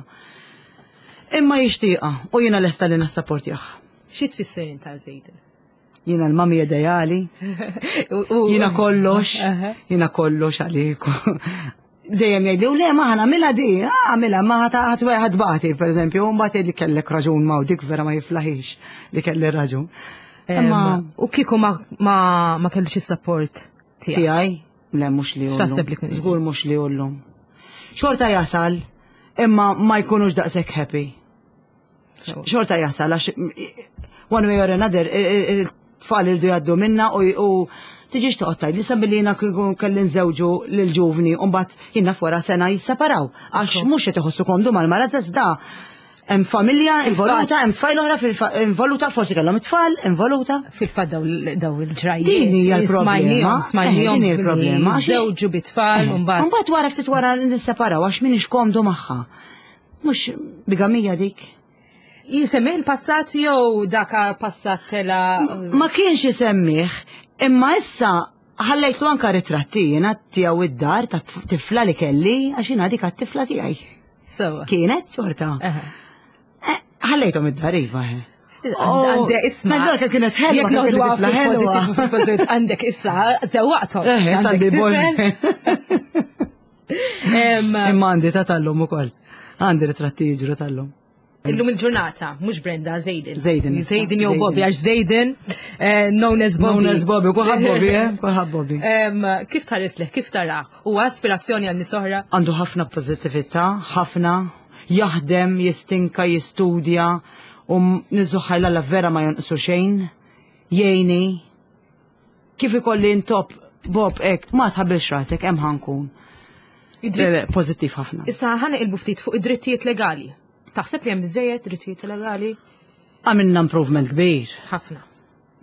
Imma jixtieqa u jiena lesta li nassapportjah. Xi tfisser inta Zejden? Jiena l-mami ideali, jiena kollox, Aha. jiena kollox għaliku. Dejjem jgħidu, le ma ħa nagħmilha di, għamilha, ma ħa tbati, per eżempju, u mbagħad jgħidli kellek raġun ma u dik vera ma jiflaħix li kelli raġun. Imma U kieku ma ma ma kellux is-support tiegħek. tiegħi, le mhux li X'taħseb li kien- Żgur mhux li ullum. Xorta jasal, imma ma jkunux daqshekk happy. Xorta jasal, għax one way or another, it-tfal irdu jgħaddu minna u u tiġix toqgħod tgħid li sa billi jiena kieku kelli nżewġu lil ġuvni u mbagħad jiena wara sena jisseparaw għax mhux qed iħossu komdu mal-mara da hemm familja involuta, hemm tfajl oħra fil- involuta, forsi kellhom it-tfal involuta. Fil-fatt daw daw il-ġrajiet. Din hija l-problema. Smajnihom, smajnihom. Eh, din hija l-problema. Żewġu bit-tfal u mbagħad. Mbagħad wara ftit wara nisseparaw għax minix komdu magħha. Mhux bigamija dik. Jisemmih il-passat jew daka passat tela. Ma kienx isemmih, imma issa ħallejtlu anka ritratti jiena tiegħu id-dar ta' tifla li kelli għax jiena dik għat-tifla tiegħi. Sewa. Kienet xorta. Aha. Eh, Ħallejthom id-dar iva. eh. Għandek isma. Għandek kienet ħelwa. Jekk kienet noħdu tifla ħelwa. fil-positiv fil-positiv għandek issa, zewwaqthom. Eh, issa Għandek għandi bol. tifel. Em, Imma għandi ta' tal-lum ukoll. Għandi ritratti jiġru tal-lum. Illum il-ġurnata, mhux Brenda, Zejden. Zejden. Zejden jew Zejden. Bobby, għax Zejden, eh, known as Bobby. Known as Bobby, kulħadd Bobby, eh? Kulħadd Bobby. Em, Kif tħares leh, kif tara? U aspirazzjoni għal nies oħra? Għandu ħafna pozittività, ħafna, jaħdem, jistinka, jistudja, u niżuħaj la vera ma jonqsu xejn, jgħini. Kif ikolli intop, Bob, ek, ma tħabbilx rasek, hemm ħa nkun. Id-dritt- Pozittiv ħafna. Issa ħa naqilbu ftit fuq id-drittijiet legali. Taħseb li hemm biżejjed drittijiet legali? Għamilna improvement kbir, Ħafna.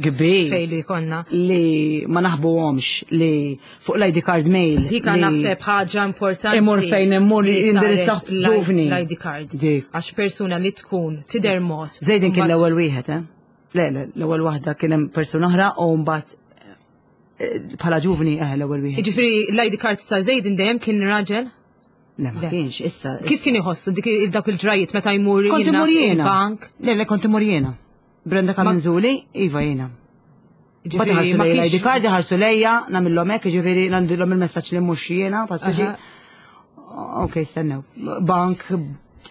kbir. Fej li konna. Li ma naħbuhomx, li fuq l-I D card mail. Dik li naħseb ħaġa importanti. Imur fejn imur li jindirizzaw saret ġuvni. L-I D card. Dik. Għax persuna li tkun tidher mod. Zejdin kien Mbagħad- l-ewwel wieħed, eh? Le, le, l-ewwel waħda kien hemm persuna oħra u mbagħad eh, bħala ġuvni eh l-ewwel wieħed. Jiġifieri l-I D card ta' Zejdin dejjem kien raġel? Le, ma kienx, issa. Kif kien iħossu dik dawk il-ġrajiet meta jmur Kont imur jiena. bank? Le, le, kont imur jiena. Brenda Camenzuli, iva jiena. Mbagħad Ġifieri, ħarsu ma lejja kienx- l-I D card, ħarsu lejja, nagħmilhom hekk, ġifieri ngħandilhom il-messaġġ li mhux jiena, paspeċi. Ok, stennew. Bank,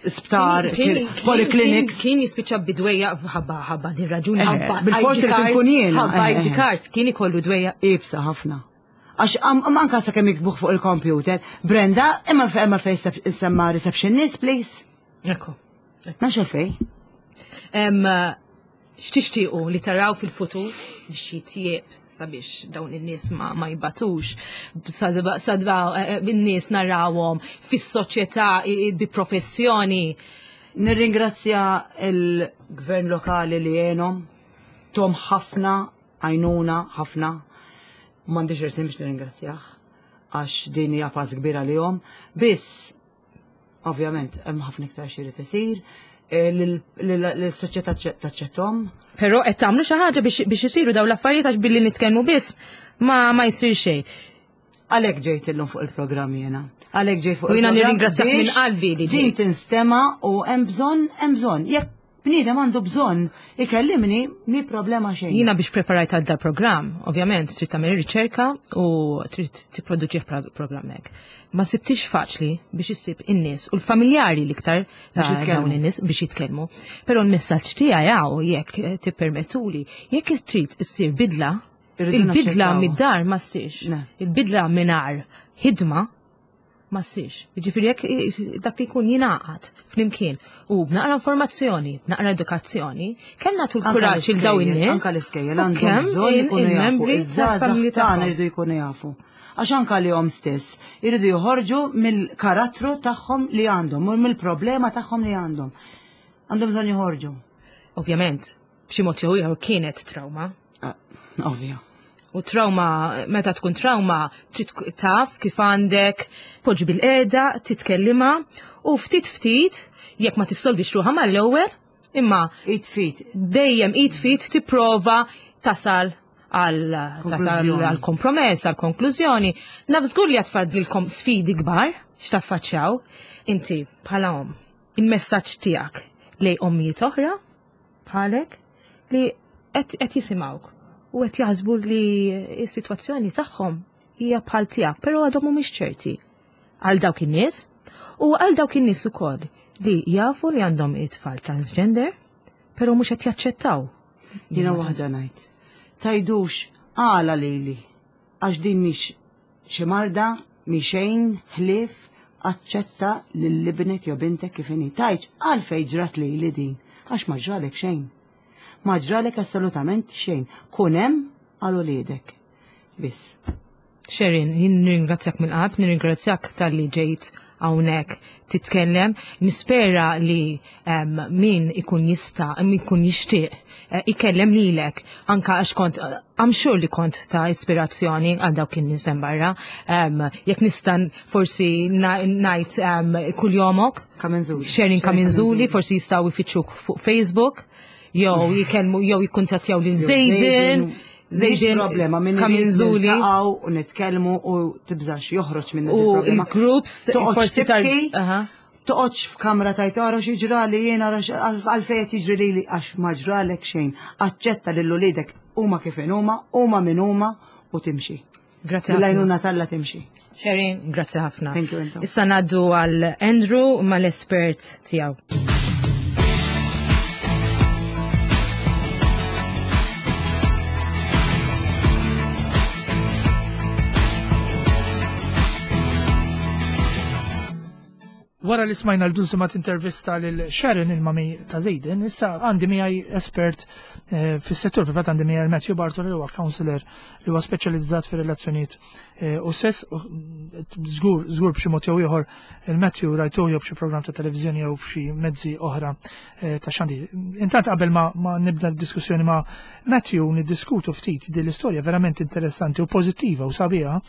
sptar, Kien- kien- polyclinics. Kien jispiċċa bidwejja ħabba ħabba din raġuni. Eh, ħabba bil-fors I D irid card, inkun jiena, Ħabba eh, I D eh. card kien ikollu dwejja. Ibsa ħafna. Għax am- am anka sa kemm jikbuħ fuq il-computer. Brenda, imma fe- imma fej semma receptionist, please. Ekku. Nafx fej. Em, X'tixtiequ li taraw fil-futur biex jitjieb sabiex dawn in-nies ma, ma jbatux, sadba, sadba eh, eh, in-nies narawhom fis-soċjetà i- i- bi professjoni. Nirringrazzja il-gvern lokali li għenom, tom ħafna, għajnuna ħafna. M'għandix irsim biex nirringrazzjah, għax din hija pass kbira li jom. Biss, ovvjament, hemm ħafna iktar xi jrid isir, eh, l-soċjetà taċċettom. Però qed tagħmlu xi ħaġa biex biex isiru dawn l-affarijiet għax billi nitkellmu biss ma ma jsir xejn. Għalhekk ġejt illum fuq il-programm jiena. Għalhekk ġejt fuq U jiena il-programm nirringrazzjak minn biex qalbi li din ġejt. tinstema u hemm bżonn, hemm bżonn. Jekk bniedem għandu bżonn ikellimni, mi problema xejn. Jiena biex preparajt għal dal-programm, ovvjament, trid tagħmel riċerka u trid tipproduċi pro- programm hekk. Ma sibtix faċli biex issib in-nies u l-familjari l-iktar ta' Biex jitkellmu. dawn in-nies biex jitkellmu. Però l-messaġġ tiegħi hawn jekk eh, tippermettuli, jekk trid issir bidla, Irridu il-bidla naċċettawha. mid-dar ma ssirx. Ne. Il-bidla mingħajr ħidma ma ssirx. Jiġifieri jekk eh, dak li jkun jingħaqad flimkien u b'naqra informazzjoni, b'naqra edukazzjoni, kemm nagħtu l-kuraġġ il daw in-nies. Anka l-iskejjel u għandhom kemm bżonn il- ikunu jafu. il-membri Iż-żgħażagħ tal-familji tagħna tagħhom. jridu jkunu jafu. Għax anka li hom stess jridu joħorġu mill-karattru tagħhom li għandhom u mill-problema tagħhom li għandhom. Għandhom bżonn joħorġu. Ovvjament, b'xi mod jew ieħor kienet trauma. Ah, Ovvja. U trauma, meta tkun trauma, trid tkun taf kif għandek, poġġi bil-qeda, titkellima, u ftit ftit, jekk ma tissolvix ruħha mal-ewwel, imma Id fit. dejjem id fit tipprova tasal għal tasal Konklużjoni. għal kompromess, għal konklużjoni. Naf żgur li għatfadlilkom sfidi kbar x'taffaċċjaw. Inti bħala om, il-messaġġ tiegħek lej ommijiet oħra bħalek li qed qed jisimgħuk u qed jaħsbu li s-sitwazzjoni tagħhom hija bħal tiegħek, però għadhom mhumiex ċerti għal dawk in-nies u għal dawk in-nies ukoll li jafu li għandhom it-tfal transgender, però mhux qed jaċċettaw. Jiena waħda ngħid. Tajdux għala lili. Għax din mhix xi marda, mi xejn ħlief aċċetta lil ibnek jew bintek kif inhi. Tgħidx għalfejn ġrat lili din, għax ma ġralek xejn. Ma ġralek assolutament xejn. Kun hemm għal uliedek. Biss. Sharon, jien nirringrazzjak mill-qalb, nirringrazzjak tal-li ġejt hawnhekk titkellem. Nispera li em, min ikun jista', min ikun jixtieq eh, ikellem lilek anka għax kont I'm sure li kont ta' ispirazzjoni għal dawk in-nies hemm barra. Em, Jekk nista' forsi na- ngħid em, kuljomok, Camenzuli. Sharon Camenzuli, forsi jistgħu jfittxuk fuq Facebook, jew jikellmu jew jikkuntattjaw lil Zayden. Zayden problema minn Camenzuli. niltaqgħu u nitkellmu u tibżax joħroġ minn U il-problema. il-groups Toqgħodx forsi tar- tibki, Aha. toqgħodx f'kamra tajt ara xi ġrali jiena ara x- għalfejn qed jiġri lili għax ma ġralek xejn. Aċċetta lil uliedek huma kif huma, huma min huma u timxi. Grazzi ħafna. Bil-għajnuna t'Alla timxi. Sharon, grazzi ħafna. Thank you, intom. Issa ngħaddu għal Andrew mal-espert tiegħu. Wara li smajna l-dunsumat intervista lil Sharon, il-mami ta' Zayden, issa għandi miegħi espert eh, fis-settur, fil-fatt għandi miegħi Matthew Bartolo, li huwa counselor li huwa speċjalizzat fir-relazzjonijiet eh, u sess, u, żgur żgur b'xi mod jew ieħor il-Matthew rajtuh jew b'xi programm ta' televiżjoni jew b'xi mezzi oħra eh, ta' xandir. Intant qabel ma, ma nibda l-diskussjoni ma' Matthew niddiskutu ftit din l-istorja verament interessanti u pożittiva u sabiħa.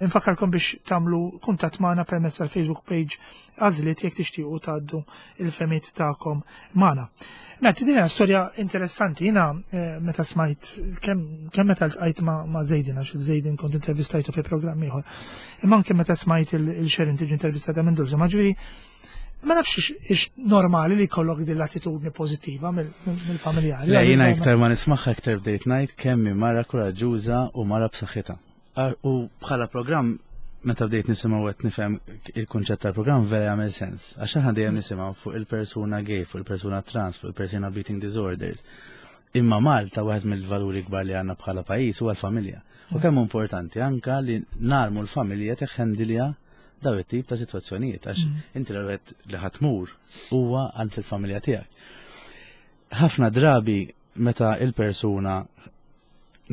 Infakkarkom biex tagħmlu kuntatt magħna permezz tal-Facebook page Għażliet jekk tixtiequ tgħaddu il-fehmiet tagħkom magħna. Matt, din hija storja interessanti. Jiena eh, meta smajt kemm kemm meta ltqajt ma' ma' Zejdin, għax il-Zejdin kont intervistajtu fi programm ieħor. Imma anke meta smajt il-Sharon tiġi intervistata minn Dulce, ma ġifieri ma nafx ix normali li jkollok din l-attitudni pożittiva mill-familjari. Le, jiena iktar ma nismaħħa iktar bdejt ngħid kemm hi mara kuraġġuża u mara b'saħħitha. U bħala programm meta bdejt nisimgħu qed nifhem il-kunċett tal-programm vera jagħmel sens. Għax aħna dejjem nisimgħu fuq il-persuna gay, fuq il-persuna trans, fuq il-persuna b'eating disorders. Imma Malta wieħed mill-valuri kbar li għandna bħala pajjiż huwa l-familja. U kemm importanti anka li narmu l-familja teħendilja daw it-tip ta' sitwazzjonijiet għax mm. inti l li ħa tmur huwa għand il-familja tiegħek. Ħafna drabi meta il-persuna,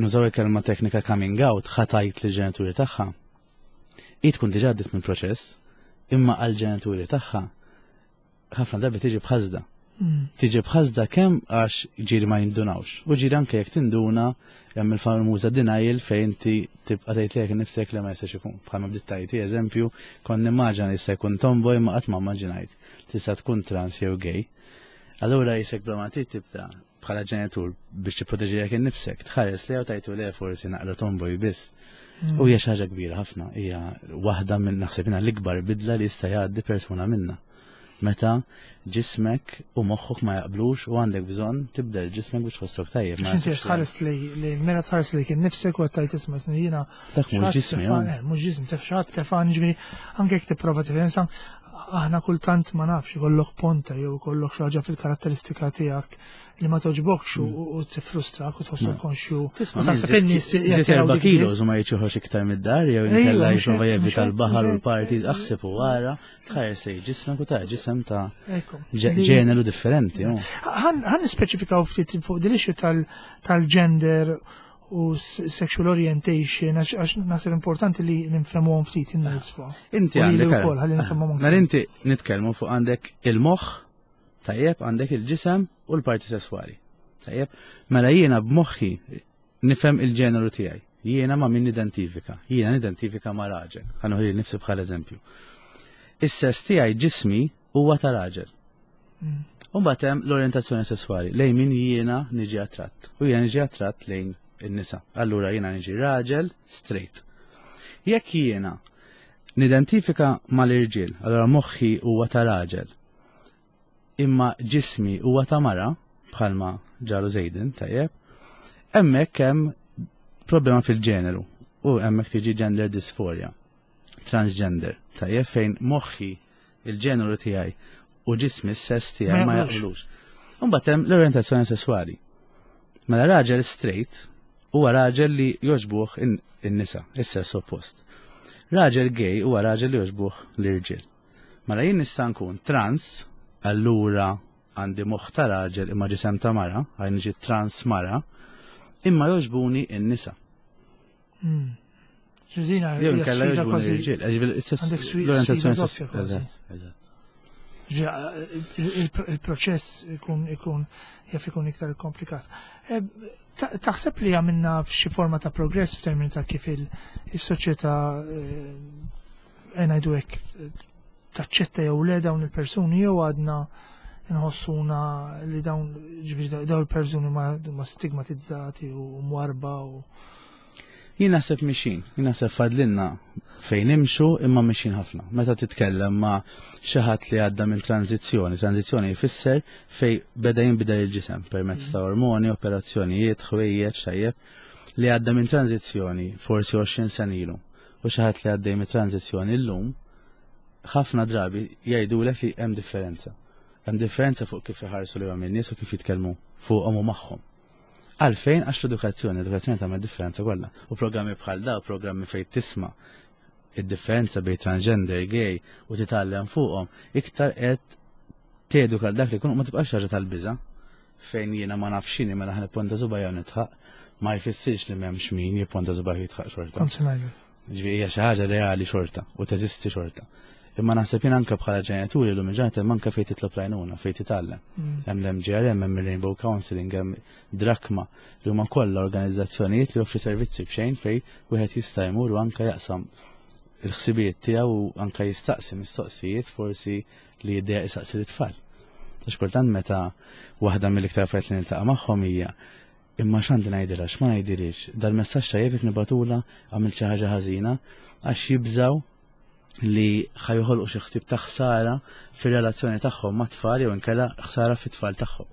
nużaw il-kelma teknika coming out, ħa tgħid lill-ġenituri tagħha. Hi tkun diġà għaddiet minn proċess, imma għal-ġenituri tagħha ħafna drabi tiġi bħażda. Mm. Tiġi bħażda kemm għax ġieli ma jindunawx. U ġieli anke jekk tinduna, hemm il-famuża denial fejn inti tibqa' tgħid lilek nifsek li ma jistax ikun. Bħalma bdiet tgħid eżempju, kont nimmaġina li jista' jkun tomboy, ma qatt ma immaġinajt tista' tkun trans jew gay. Allura jisek bla ma tibda bħala ġenitur biex tipproteġi innifsek, tħares li tajtu le forsi naqra tomboy biss. Mm. U hija xi ħaġa kbira ħafna, hija waħda minn naħseb l-ikbar bidla li jista' jgħaddi persuna minna meta ġismek u moħħok ma jaqblux u għandek bżonn tibdel ġismek biex tħossok tajjeb. Ma inti tħares li li mela tħares li kien nifsek u għattajt isma' jiena. Dak mhux ġismi. Eh, mhux ġismi, taf xi tefan, ġifieri anke jekk tipprova tifhem, aħna kultant, ma nafx, ikollok ponta jew ikollok xi ħaġa fil-karatteristika tiegħek li ma toġbokx u mm. tifrustrak u tħossok mm. konxju. U taħseb in-nies erba' kilos u ma jiġux iktar mid-dar jew inkella jipprova jevita l-baħar u l-party, aħseb u wara tħares lejn ġismek u tara ġisem ta' ġeneru differenti. Ħa nispeċifikaw ftit fuq din issue tal-gender u sexual orientation, għax naħseb importanti li nifhmuhom ftit in-nies fuq. Inti għandek. Mela inti nitkellmu fuq għandek il-moħħ, tajjeb, għandek il-ġisem u l-parti sessuali. Tajjeb, mela jiena b'moħħi nifhem il-ġeneru tiegħi. Jiena ma' min nidentifika. Jiena nidentifika ma' raġel. Ħa nieħu nifsi bħal eżempju. Is-sess tiegħi, ġismi huwa ta' raġel. Mm. U hemm l-orientazzjoni sessuali lejn min jiena niġi attratt. U jiena niġi attratt lejn in-nisa. Allura jiena niġi raġel straight. Jekk jiena nidentifika mal-irġiel, allura moħħi huwa ta' raġel, imma ġismi huwa ta' mara, bħalma ġralu Zejden, tajjeb, hemmhekk hemm problema fil-ġeneru u hemmhekk tiġi gender dysphoria, transgender, tajjeb, fejn moħħi, il-ġeneru tiegħi u ġismi, s-sess tiegħi ma jaqblux. Imbagħad hemm l-orientazzjoni sessuali. Mela raġel straight huwa raġel li jogħġbuh in-nisa, is-sess oppost. Raġel gay huwa raġel li jogħġbuh l-irġiel. Mela jien nista' nkun trans, allura għandi moħħ ta' raġel imma ġisem ta' mara, għaj niġi trans mara, imma jogħġbuni in-nisa. Hmm. Jew inkella jogħġbuni l-irġiel, l-orientazzjoni. Il-proċess ikun ikun jaf ikun iktar komplikat. Eh, taħseb li għamilna f'xi forma ta' progress f'termini ta' kif il-soċjetà, eh, ngħidu hekk, taċċetta jew le dawn il-persuni, jew għadna nħossuna li dawn, ġifieri dawn il-persuni ma stigmatizzati u mwarba u Jien naħseb mexjin, jien naħseb fadlilna fejn nimxu, imma mexjin ħafna. Meta titkellem ma' xi ħadd li għadda minn tranzizzjoni, tranzizzjoni jfisser fej beda jinbidel il-ġisem permezz ta' ormoni, operazzjonijiet, ħwejjeġ, tajjeb, li għadda minn tranzizzjoni forsi għoxrin sena ilu u xi ħadd li għaddej minn tranzizzjoni llum, ħafna drabi jgħidulek li hemm differenza. Hemm differenza fuq kif iħarsu lejhom in-nies u kif jitkellmu fuqhom u magħhom. Għalfejn? Għax l-edukazzjoni, l-edukazzjoni tagħmel differenza kollha. U programmi bħal da, programmi fejn tisma' id-differenza bejn transgender, gay u titgħallem fuqhom, iktar qed teduka dak li kun ma tibqax ħaġa tal-biża' fejn jiena ma nafx x'inhi, mela ħa nipponta subgħajja nidħaq. Ma jfissirx li m'hemmx min jipponta subgħajja jidħaq xorta. Ġifieri hija xi ħaġa reali xorta u teżisti xorta. Imma naħseb jien anke bħala ġenituri llum il-ġurnata hemm anke fejn titlob l-għajnuna, fejn titgħallem. Hemm l-M G R M, hemm il-Rainbow Counseling, hemm Drakma, li huma kollha organizzazzjonijiet li joffri servizzi b'xejn fejn wieħed jista' jmur u anke jaqsam il-ħsibijiet tiegħu u anke jistaqsi mistoqsijiet forsi li jiddejjaq jistaqsi l-tfal. Għax kultant meta waħda mill-iktar affarijiet li niltaqa' magħhom hija: imma x'għandi ngħidilha, x'ma ngħidilhiex, dal-messaġġ tajjeb jekk nibagħtulha, għamilt xi ħaġa ħażina, għax jibżaw li ħa joħolqu xi ħsieb ta' ħsara fir-relazzjoni tagħhom mat-tfal jew inkella ħsara fit-tfal tagħhom.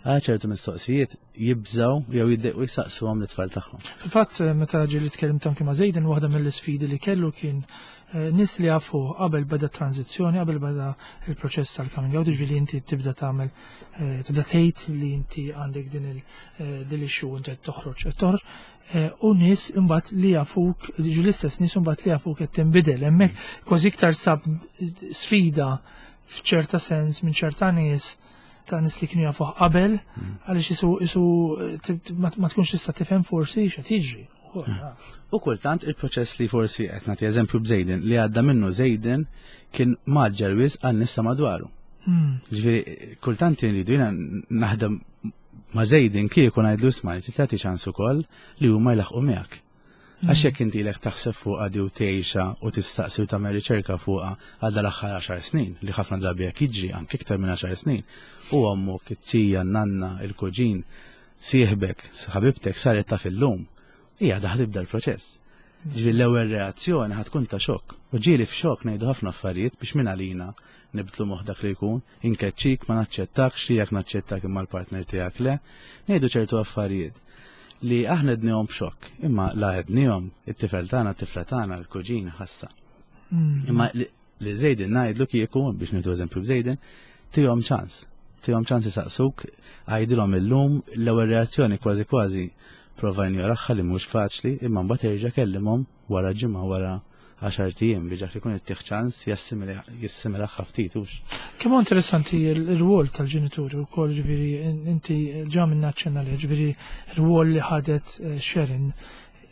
Għal ċertu mistoqsijiet jibżaw jew jiddejqu jistaqsuhom l-tfal tagħhom. Fil-fatt, meta ġieli tkellimt anke ma' Zejden, waħda mill-isfidi li kellu kien eh, nies li jafu qabel beda tranzizzjoni, qabel beda il-proċess tal-coming out, ġifieri inti tibda tagħmel eh, tibda tgħid li inti għandek din il eh, din l-issue, inti qed toħroġ, qed toħroġ, eh, u nies imbagħad li jafuk, ġu l-istess nies imbagħad li jafuk qed tinbidel hemmhekk kważi iktar sab sfida f'ċerta sens minn ċerta nies, ta' nies li kienu jafuh qabel, għaliex isu isu ma ma tkunx tista' tifhem forsi x'qed jiġri. U kultant il-proċess li forsi qed nagħti eżempju b'Zejden li għadda minnu Zejden kien mgħaġġel wisq għan nies ta' madwaru. Ġifieri kultant jridu jiena naħdem ma' Zejden kieku ngħidlu: isma', li tagħti ċans ukoll li huma jlaħqu miegħek. Għax jekk inti ilek taħseb fuqha di u tgħixha u tistaqsi u tagħmel riċerka fuqha għal dal-aħħar għaxar snin, li ħafna drabi jekk jiġri anke iktar minn għaxar snin, u ommok, it-tija, n-nanna, il-kuġin, sieħbek, ħabibtek saret taf illum, hija daħ tibda l-proċess. Ġifieri l-ewwel reazzjoni ħa tkun ta' xokk. U ġieli f'xokk ngħidu ħafna affarijiet biex minn għalina nibdlu moħħ dak li jkun, inkeċċik, ma naċċettakx, li jekk naċċettak imma l-partner tiegħek le, ngħidu ċertu affarijiet li aħna għednihom b'xokk, imma la għednihom it-tifel tagħna, t-tifla tagħna, l-kuġin ħassa. Imma li li Zejden ngħidlu kieku, biex nieħdu eżempju b'Zejden, tihom ċans. Tihom ċans jisaqsuk, għajdilhom illum, l-ewwel reazzjoni kważi kważi prova injoraha, li mhux faċli, imma mbagħad erġa' kellimhom wara ġimgħa, wara għaxart ijiem, biex dak li jkun ittih ċans jassimila ftit hux. Kemm huwa interessanti il-rwol tal-ġenituri wkoll, ġifieri inti ġa minna ċenna li ġifieri r-rwol li ħadet eh, Sharon,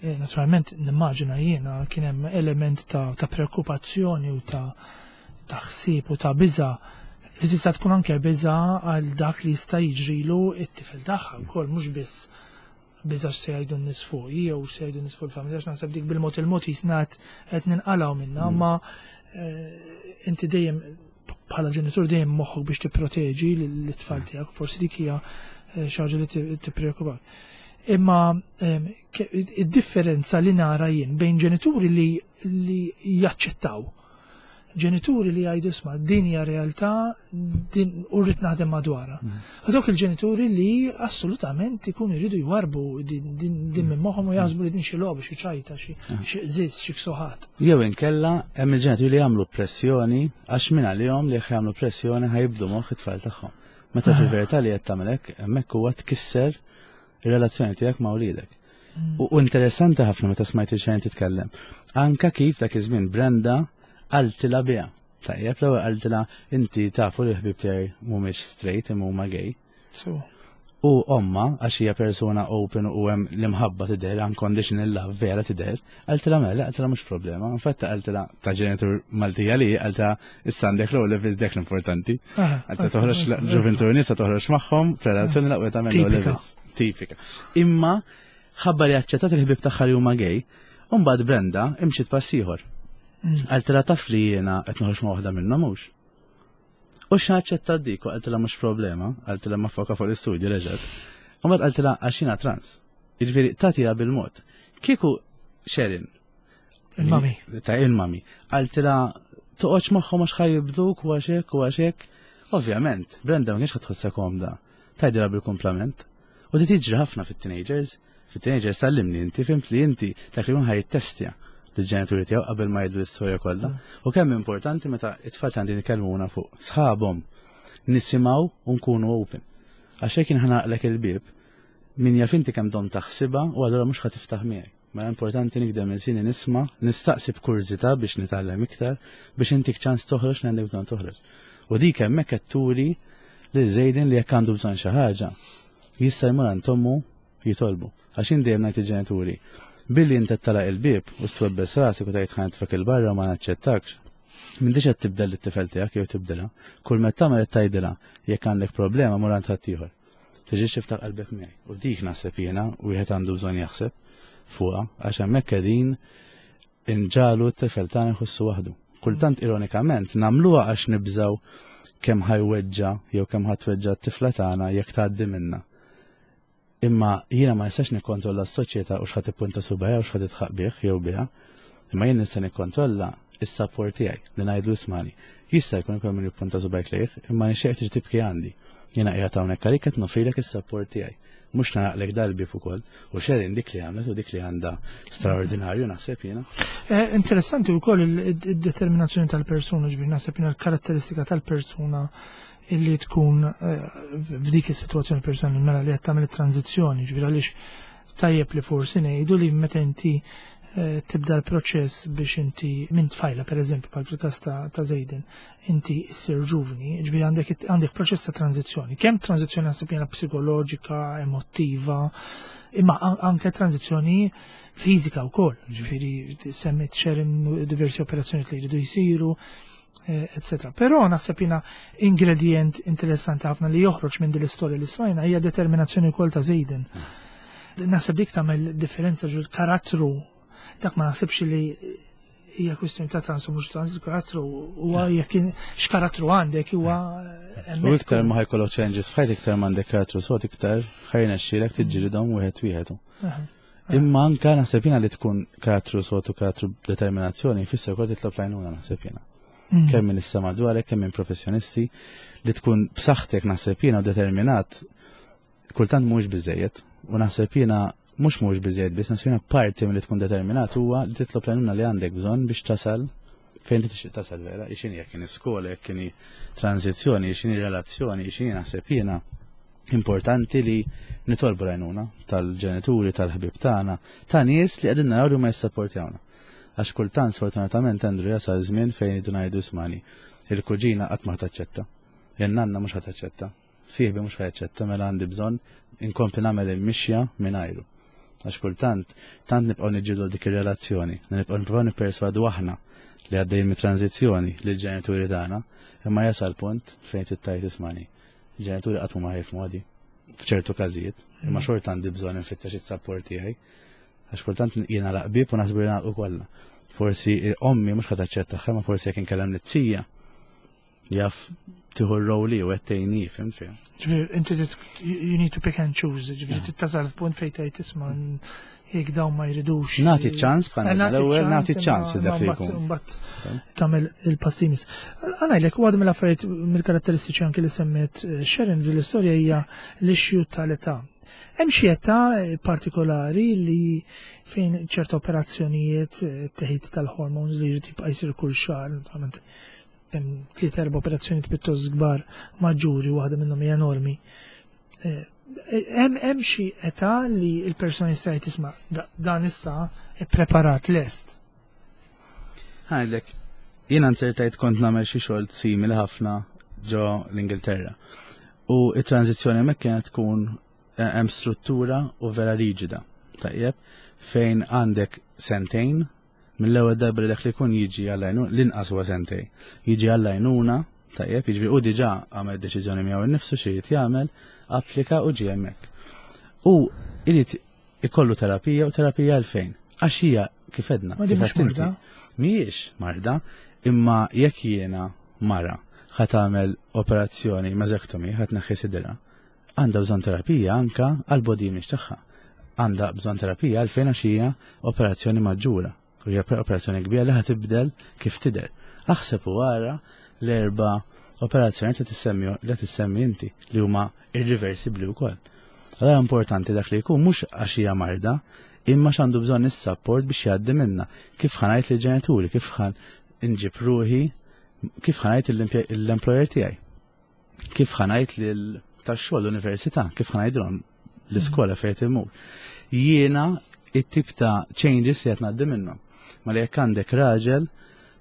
eh, naturalment nimmaġina jiena kien hemm element ta', ta' preokkupazzjoni u ta' ta' ħsieb u ta' biża li tista' tkun anke biża għal dak li jista' jiġrilu it-tifel tagħha wkoll, mhux biss biża se jgħidu n-nies fuq jew se jgħidu n-nies fuq il-familja, għax naħseb dik bil-mod il-mod jisnat qed ninqalgħu minnha, imma eh, inti dejjem bħala ġenitur dejjem moħħok biex tipproteġi l-tfal tiegħek, forsi dik hija eh, xi ħaġa li tippreokkupak. Imma ehm, id-differenza li nara jien bejn ġenituri li li jaċċettaw, ġenituri li jgħidu: isma', din hija realtà din u rrid naħdem madwarha. U dawk il-ġenituri li assolutament ikunu jridu jwarbu din din din minn moħħhom u jaħsbu li din xi logħba, xi ċajta, xi xi qżiż, xi ksuħat. Jew inkella hemm il-ġenituri li jagħmlu pressjoni għax minn għalihom li jekk jagħmlu pressjoni ħa jibdlu moħħ it-tfal tagħhom. Meta fil-verità li qed tagħmel hekk hemmhekk huwa tkisser ir-relazzjoni tiegħek ma' wliedek. U u interessanti ħafna meta smajt il-xejn titkellem. Anka kif dak iż-żmien Brenda qaltilha biha. Tajjeb, l-ewwel qaltilha: inti tafu li l-ħbieb tiegħi mhumiex straight imma huma gay. So, U omma, għax hija persuna open u hemm l-imħabba tidher, unconditional love vera tidher, qaltilha mela, qaltilha mhux problema. Infatti qaltilha ta' ġenitur Maltija li qaltilha: issa għandek l levels, dak l-importanti. Ah, Qaltilha toħroġ ġuventur nisa toħroġ magħhom f'relazzjoni l-aqwa tagħmel Tipika. levels. Tipika. Imma ħabba li aċċettat il-ħbieb tagħha li huma gay, u mbagħad Brenda imxiet pass ieħor. Qaltilha: taf li jiena qed noħroġ ma' waħda minnhom, mhux? U x'aċċettat dik u qaltilha mhux problema, qaltilha ma foka fuq l-istudju reġgħet. U mbagħad qaltilha għax jiena trans. Jiġifieri tagħtiha bil-mod. Kieku Sharon Il-mami. Ta' il-mami. Qaltilha toqgħodx magħhom għax ħa jibdluk u għax hekk u għax hekk. Ovvjament, Brenda ma kienx ħa tħossha komda. Tgħidilha bil-kumplament. U di tiġri ħafna fit-teenagers. Fit-teenagers tallimni inti, fhimt li inti dak li jkun ħa jittestja l-ġenituri tiegħu qabel ma jgħidu l-istorja kollha. U kemm importanti meta it-tfal għandi nitkellmuna fuq sħabhom nisimgħu u nkunu open. Għax hekk ħa nagħlaqlek il-bieb, min jaf inti kemm dom taħsibha u allura mhux ħa tiftaħ miegħi. Ma importanti nikdem il-sini nisma', nistaqsi b'kurżità biex nitgħallem iktar, biex intik ċans toħroġ li għandek bżonn toħroġ. U dik hemmhekk qed turi lil Zejdin li jekk għandu bżonn xi ħaġa, jista' jmur għand ommu jitolbu. Għax jien dejjem ngħid il-ġenituri, billi inti tagħlaq il-bieb u twebbes rasek u tgħid ħa nitfgħek 'il barra u ma naċċettakx. M'intix qed tibdel it-tifel tiegħek jew tibdilha. Kull meta tagħmel qed tgħidilha jekk għandek problema mur għand ħaddieħor. Tiġix tiftaħ qalbek miegħi. U dik naħseb jiena wieħed għandu bżonn jaħseb fuqha għax hemmhekk qegħdin inġagħlu t-tifel tagħna jħossu waħdu. Kultant ironikament nagħmluha għax nibżaw kemm ħa jweġġa' jew kemm ħa tweġġa' t-tifla tagħna jekk tgħaddi minna. Imma jiena ma nistax nikkontrolla s-soċjetà u x'ħa tippunta subgħajha u x'ħa tidħaq bih jew biha. Imma jien nista' nikkontrolla is-support tiegħi li ngħidlu ismagħni. Jista' jkun ikun min jippunta subgħajk lejh, imma nixtieq tiġi tibki għandi. Jiena qiegħed hawnhekk għalik qed noffrilek is-support tiegħi. Mhux nagħlaqlek dal-bieb ukoll. U Sharon dik li għamlet u dik li għandha straordinarju naħseb jiena. Eh, interessanti wkoll il-determinazzjoni tal-persuna, ġifieri naħseb jiena l-karatteristika tal-persuna illi tkun eh, f'dik is-sitwazzjoni personali mela li qed tagħmel it-tranzizzjoni, ġifieri għaliex tajjeb li forsi ngħidu li meta inti eh, tibda l-proċess biex inti minn tfajla per eżempju bħal fil-każ ta' ta' Zejden, inti issir ġuvni, ġifieri għandek għandek proċess ta' tranzizzjoni. Kemm tranzizzjoni naħseb jiena psikoloġika, emotiva, imma anke tranzizzjoni fiżika wkoll, ġifieri semmit Sharon diversi operazzjoni li jridu jsiru, etc. Però naħseb jiena ingredient interessanti ħafna li joħroġ minn din l-istorja li smajna hija determinazzjoni wkoll ta' Zejden. Naħseb dik tagħmel differenza ġo karattru dak ma naħsibx li hija kwistjoni ta' trans u mhux trans, il-karattru huwa jekk x'karattru għandek huwa U iktar ma ħa jkollok changes f'ħajtek iktar ma għandek karattru sod iktar ħa jirnexxilek tiġġilidhom wieħed wieħed. Imma anka naħseb jiena li tkun karattru sod u karattru determinazzjoni jfisser ukoll titlob l-għajnuna naħseb jiena. Mm. Kemm minn issa madwarek, kemm minn professjonisti li tkun b'saħħtek naħseb jiena u determinat kultant mhux biżejjed u naħseb jiena mhux mhux biżejjed biss naħseb jiena parti minn li tkun determinat huwa li titlob l-għajnuna li għandek bżonn biex tasal fejn tixtieq tasal vera, x'inhi jekk kien iskola, jekk kien tranzizzjoni, x'inhi relazzjoni, x'inhi naħseb jiena importanti li nitolbu l-għajnuna tal-ġenituri, tal-ħbib tagħna, ta' nies li qegħdin naraw li ma jissapportjawna. Għax kultant sfortunatament Andrew jasal żmien fejn idu ngħidu ismagħni. Il-kuġina qatt ma taċċetta. In-nanna mhux ħa taċċetta. Sieħbi mhux ħa jaċċetta mela għandi bżonn inkompli nagħmel il-mixja mingħajru. Għax kultant tant nibqgħu niġġieldu dik ir-relazzjoni, nibqgħu nipprovaw nipperswadu aħna li għaddejjin mit-tranzizzjoni lill-ġenituri tagħna, imma jasal punt fejn tgħid ismagħni. Il-ġenituri qatt ma jifhmu għadi f'ċertu każijiet, imma xorta għandi bżonn infittex is-support tiegħi. Għax kultant jiena laqbib u naħsbu li nagħlqu kollha. Forsi ommi mhux ħa taċċetta, ma forsi jekk inkellem lit-tija jaf tieħu r-rol u qed tgħinni, fhimt fejn. Ġifieri inti you need to pick and choose, ġifieri tasal f'punt fejn tgħid isma' jekk dawn ma jridux. Nagħti ċans bħal l-ewwel nagħti ċans dak li jkun. Mbagħad tagħmel il-pass li jmiss. Għanajlek waħda mill-affarijiet mill-karatteristiċi anke li semmet eh, Sharon fil-istorja hija l-issue tal-età. Hemm xi età partikolari li fejn ċerta operazzjonijiet eh, teħid tal-hormones li jrid jibqa' jsir kull xahar, naturalment hemm tliet erba' operazzjonijiet pjuttost kbar maġġuri, waħda minnhom hija enormi. Eh, hemm hemm xi età li l-persuna jista' tisma' dan issa ippreparat lest. Ħa ngħidlek, jiena nzertajt kont nagħmel xi xogħol simili ħafna ġo l-Ingilterra. U it-tranzizzjoni hemmhekk kienet tkun eh, hemm struttura u vera riġida. Tajjeb, fejn għandek sentejn mill-ewwel darba li dak li jkun jiġi għall-għajnuna, l-inqas huwa sentejn. Jiġi għall-għajnuna, tajjeb, jiġifieri u diġà għamel deċiżjoni miegħu innifsu xi jrid jagħmel, applika u ġie hemmhekk. U irid ikollu terapija u terapija għalfejn. Għax hija kif għedna. Ma di kif mhux għedt inti, marda. Mhijiex marda, imma jekk jiena mara ħa tagħmel operazzjoni mastectomy ħa tneħħi sidra, għandha bżonn terapija anka għal body image tagħha. Għandha bżonn terapija għalfejn għax hija operazzjoni maġġura. U hija operazzjoni kbira li ħa tibdel kif tidher. Aħseb u wara l-erba' operazzjoni li tissemmi li tissemmi inti li huma irreversibbli wkoll. Allora importanti dak li jkun mhux għax hija marda, imma x'għandu bżonn is-support biex jgħaddi minna. Kif ħa ngħid lill-ġenituri, kif ħa nġib ruħi, kif ħa ngħid l-employer tiegħi. Kif ħa ngħid lil tax-xogħol l-università, kif ħa ngħidilhom l-iskola fejn imur. Jiena it-tip ta' changes li qed ngħaddi minnhom. Ma li jekk għandek raġel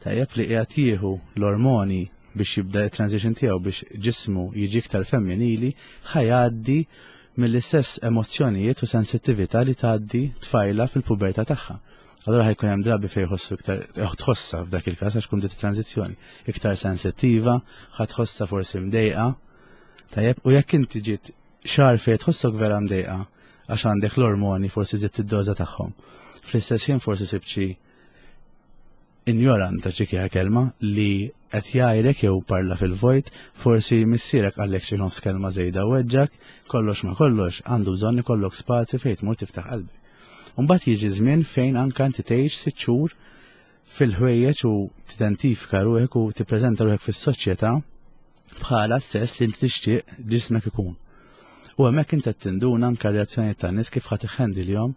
tajjeb li qiegħed jieħu l-ormoni biex jibda il-transition tiegħu biex ġismu jiġi iktar femminili, ħa jgħaddi mill-istess emozzjonijiet u sensittività li tgħaddi tfajla fil-pubertà tagħha. Allora ħa jkun hemm drabi fejn jħossu iktar, tħossha f'dak il-każ għax tkun bdiet transizzjoni, iktar sensittiva, ħa tħossha forsi mdejqa. Tajjeb, u jekk inti ġiet xahar fejn tħossok vera mdejqa għax għandek l-ormoni forsi żidt id-doża tagħhom. Fl-istess ħin forsi sibt xi injorant ta' ċikja kelma li qed jgħidlek jew parla fil-vojt, forsi missierek qallek xi nofs kelma żejda weġġak, kollox ma kollox għandu bżonn ikollok spazju fejn tmur tiftaħ qalbek. Mbagħad jiġi żmien fejn anke inti tgħix sitt xhur fil-ħwejjeġ u tidentifika ruħek u tippreżenta ruħek fis-soċjetà bħala s-sess li inti tixtieq ġismek ikun. U hemmhekk inti qed tinduna anke reazzjoni tan-nies kif ħa tiħħendilhom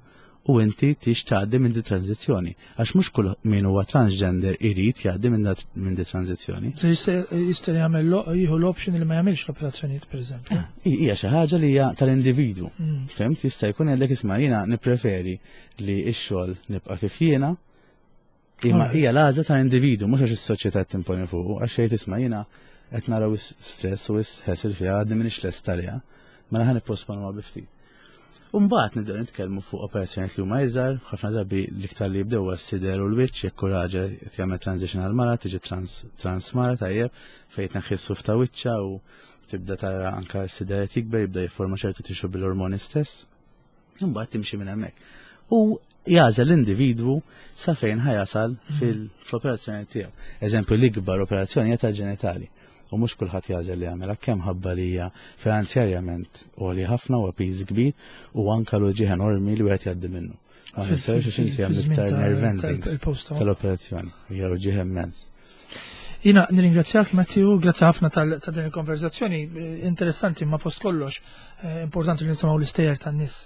u inti tix tgħaddi minn di tranzizzjoni. Għax mhux kull min huwa transgender irid jgħaddi minn di tranzizzjoni. Jista' jagħmel jieħu l-option li ma jagħmilx l-operazzjonijiet, pereżempju. Hija xi ħaġa li hija tal-individwu. Mm. Fhimt, jista' jkun għandek isma' jiena nippreferi li x-xogħol nibqa' kif jiena. Imma hija l-għażla tal-individwu, mhux għax is-soċjetà timponi fuq, għax xejn tisma' jiena qed naraw stress u ħesel fiha għadni m'iniex lest għaliha. Mela ħa nipposponu bi ftit. Umbagħad nibdew nitkellmu fuq operazzjonijiet li huma iżgħar, ħafna drabi l-iktar li jibdew s-sider u l-wiċċ, jekk raġel qed jagħmel transition għal mara, tiġi trans trans mara tajjeb, fejn tneħħi s-suf ta' wiċċa u tibda tara anka s-sider qed jikber, jibda jifforma ċertu tixu bil-ormoni stess. Imbagħad timxi minn hemmhekk. U jagħżel l-individwu sa fejn ħa jasal fil-operazzjoni tiegħu. Eżempju, l-ikbar operazzjoni hija tal-ġenitali. U mhux kulħadd jagħżel li jagħmilha kemm ħabba li hija finanzjarjament għoli ħafna u piż kbir u anke l-uġigħ enormi li wieħed jgħaddi minnu. Ma ninsewx għax inti hemm iktar nerve endings tal-operazzjoni, hija uġigħ immens. Jiena nirringrazzjak, Matthew, grazzi ħafna ta' din il-konverzazzjoni interessanti, ma fost kollox importanti li nisimgħu l-istejjer tan-nies,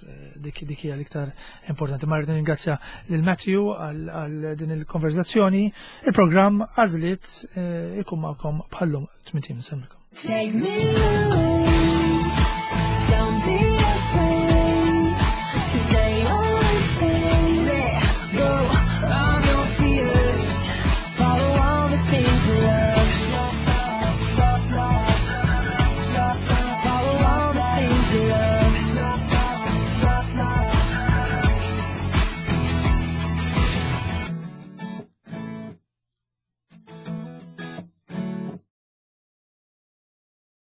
dik dik hija l-iktar importanti. Ma rrid nirringrazzja lil Matthew għal din il-konverzazzjoni. Il-programm Għażliet ikun magħkom bħallum tmintiem. Insellmilkom. Take me away.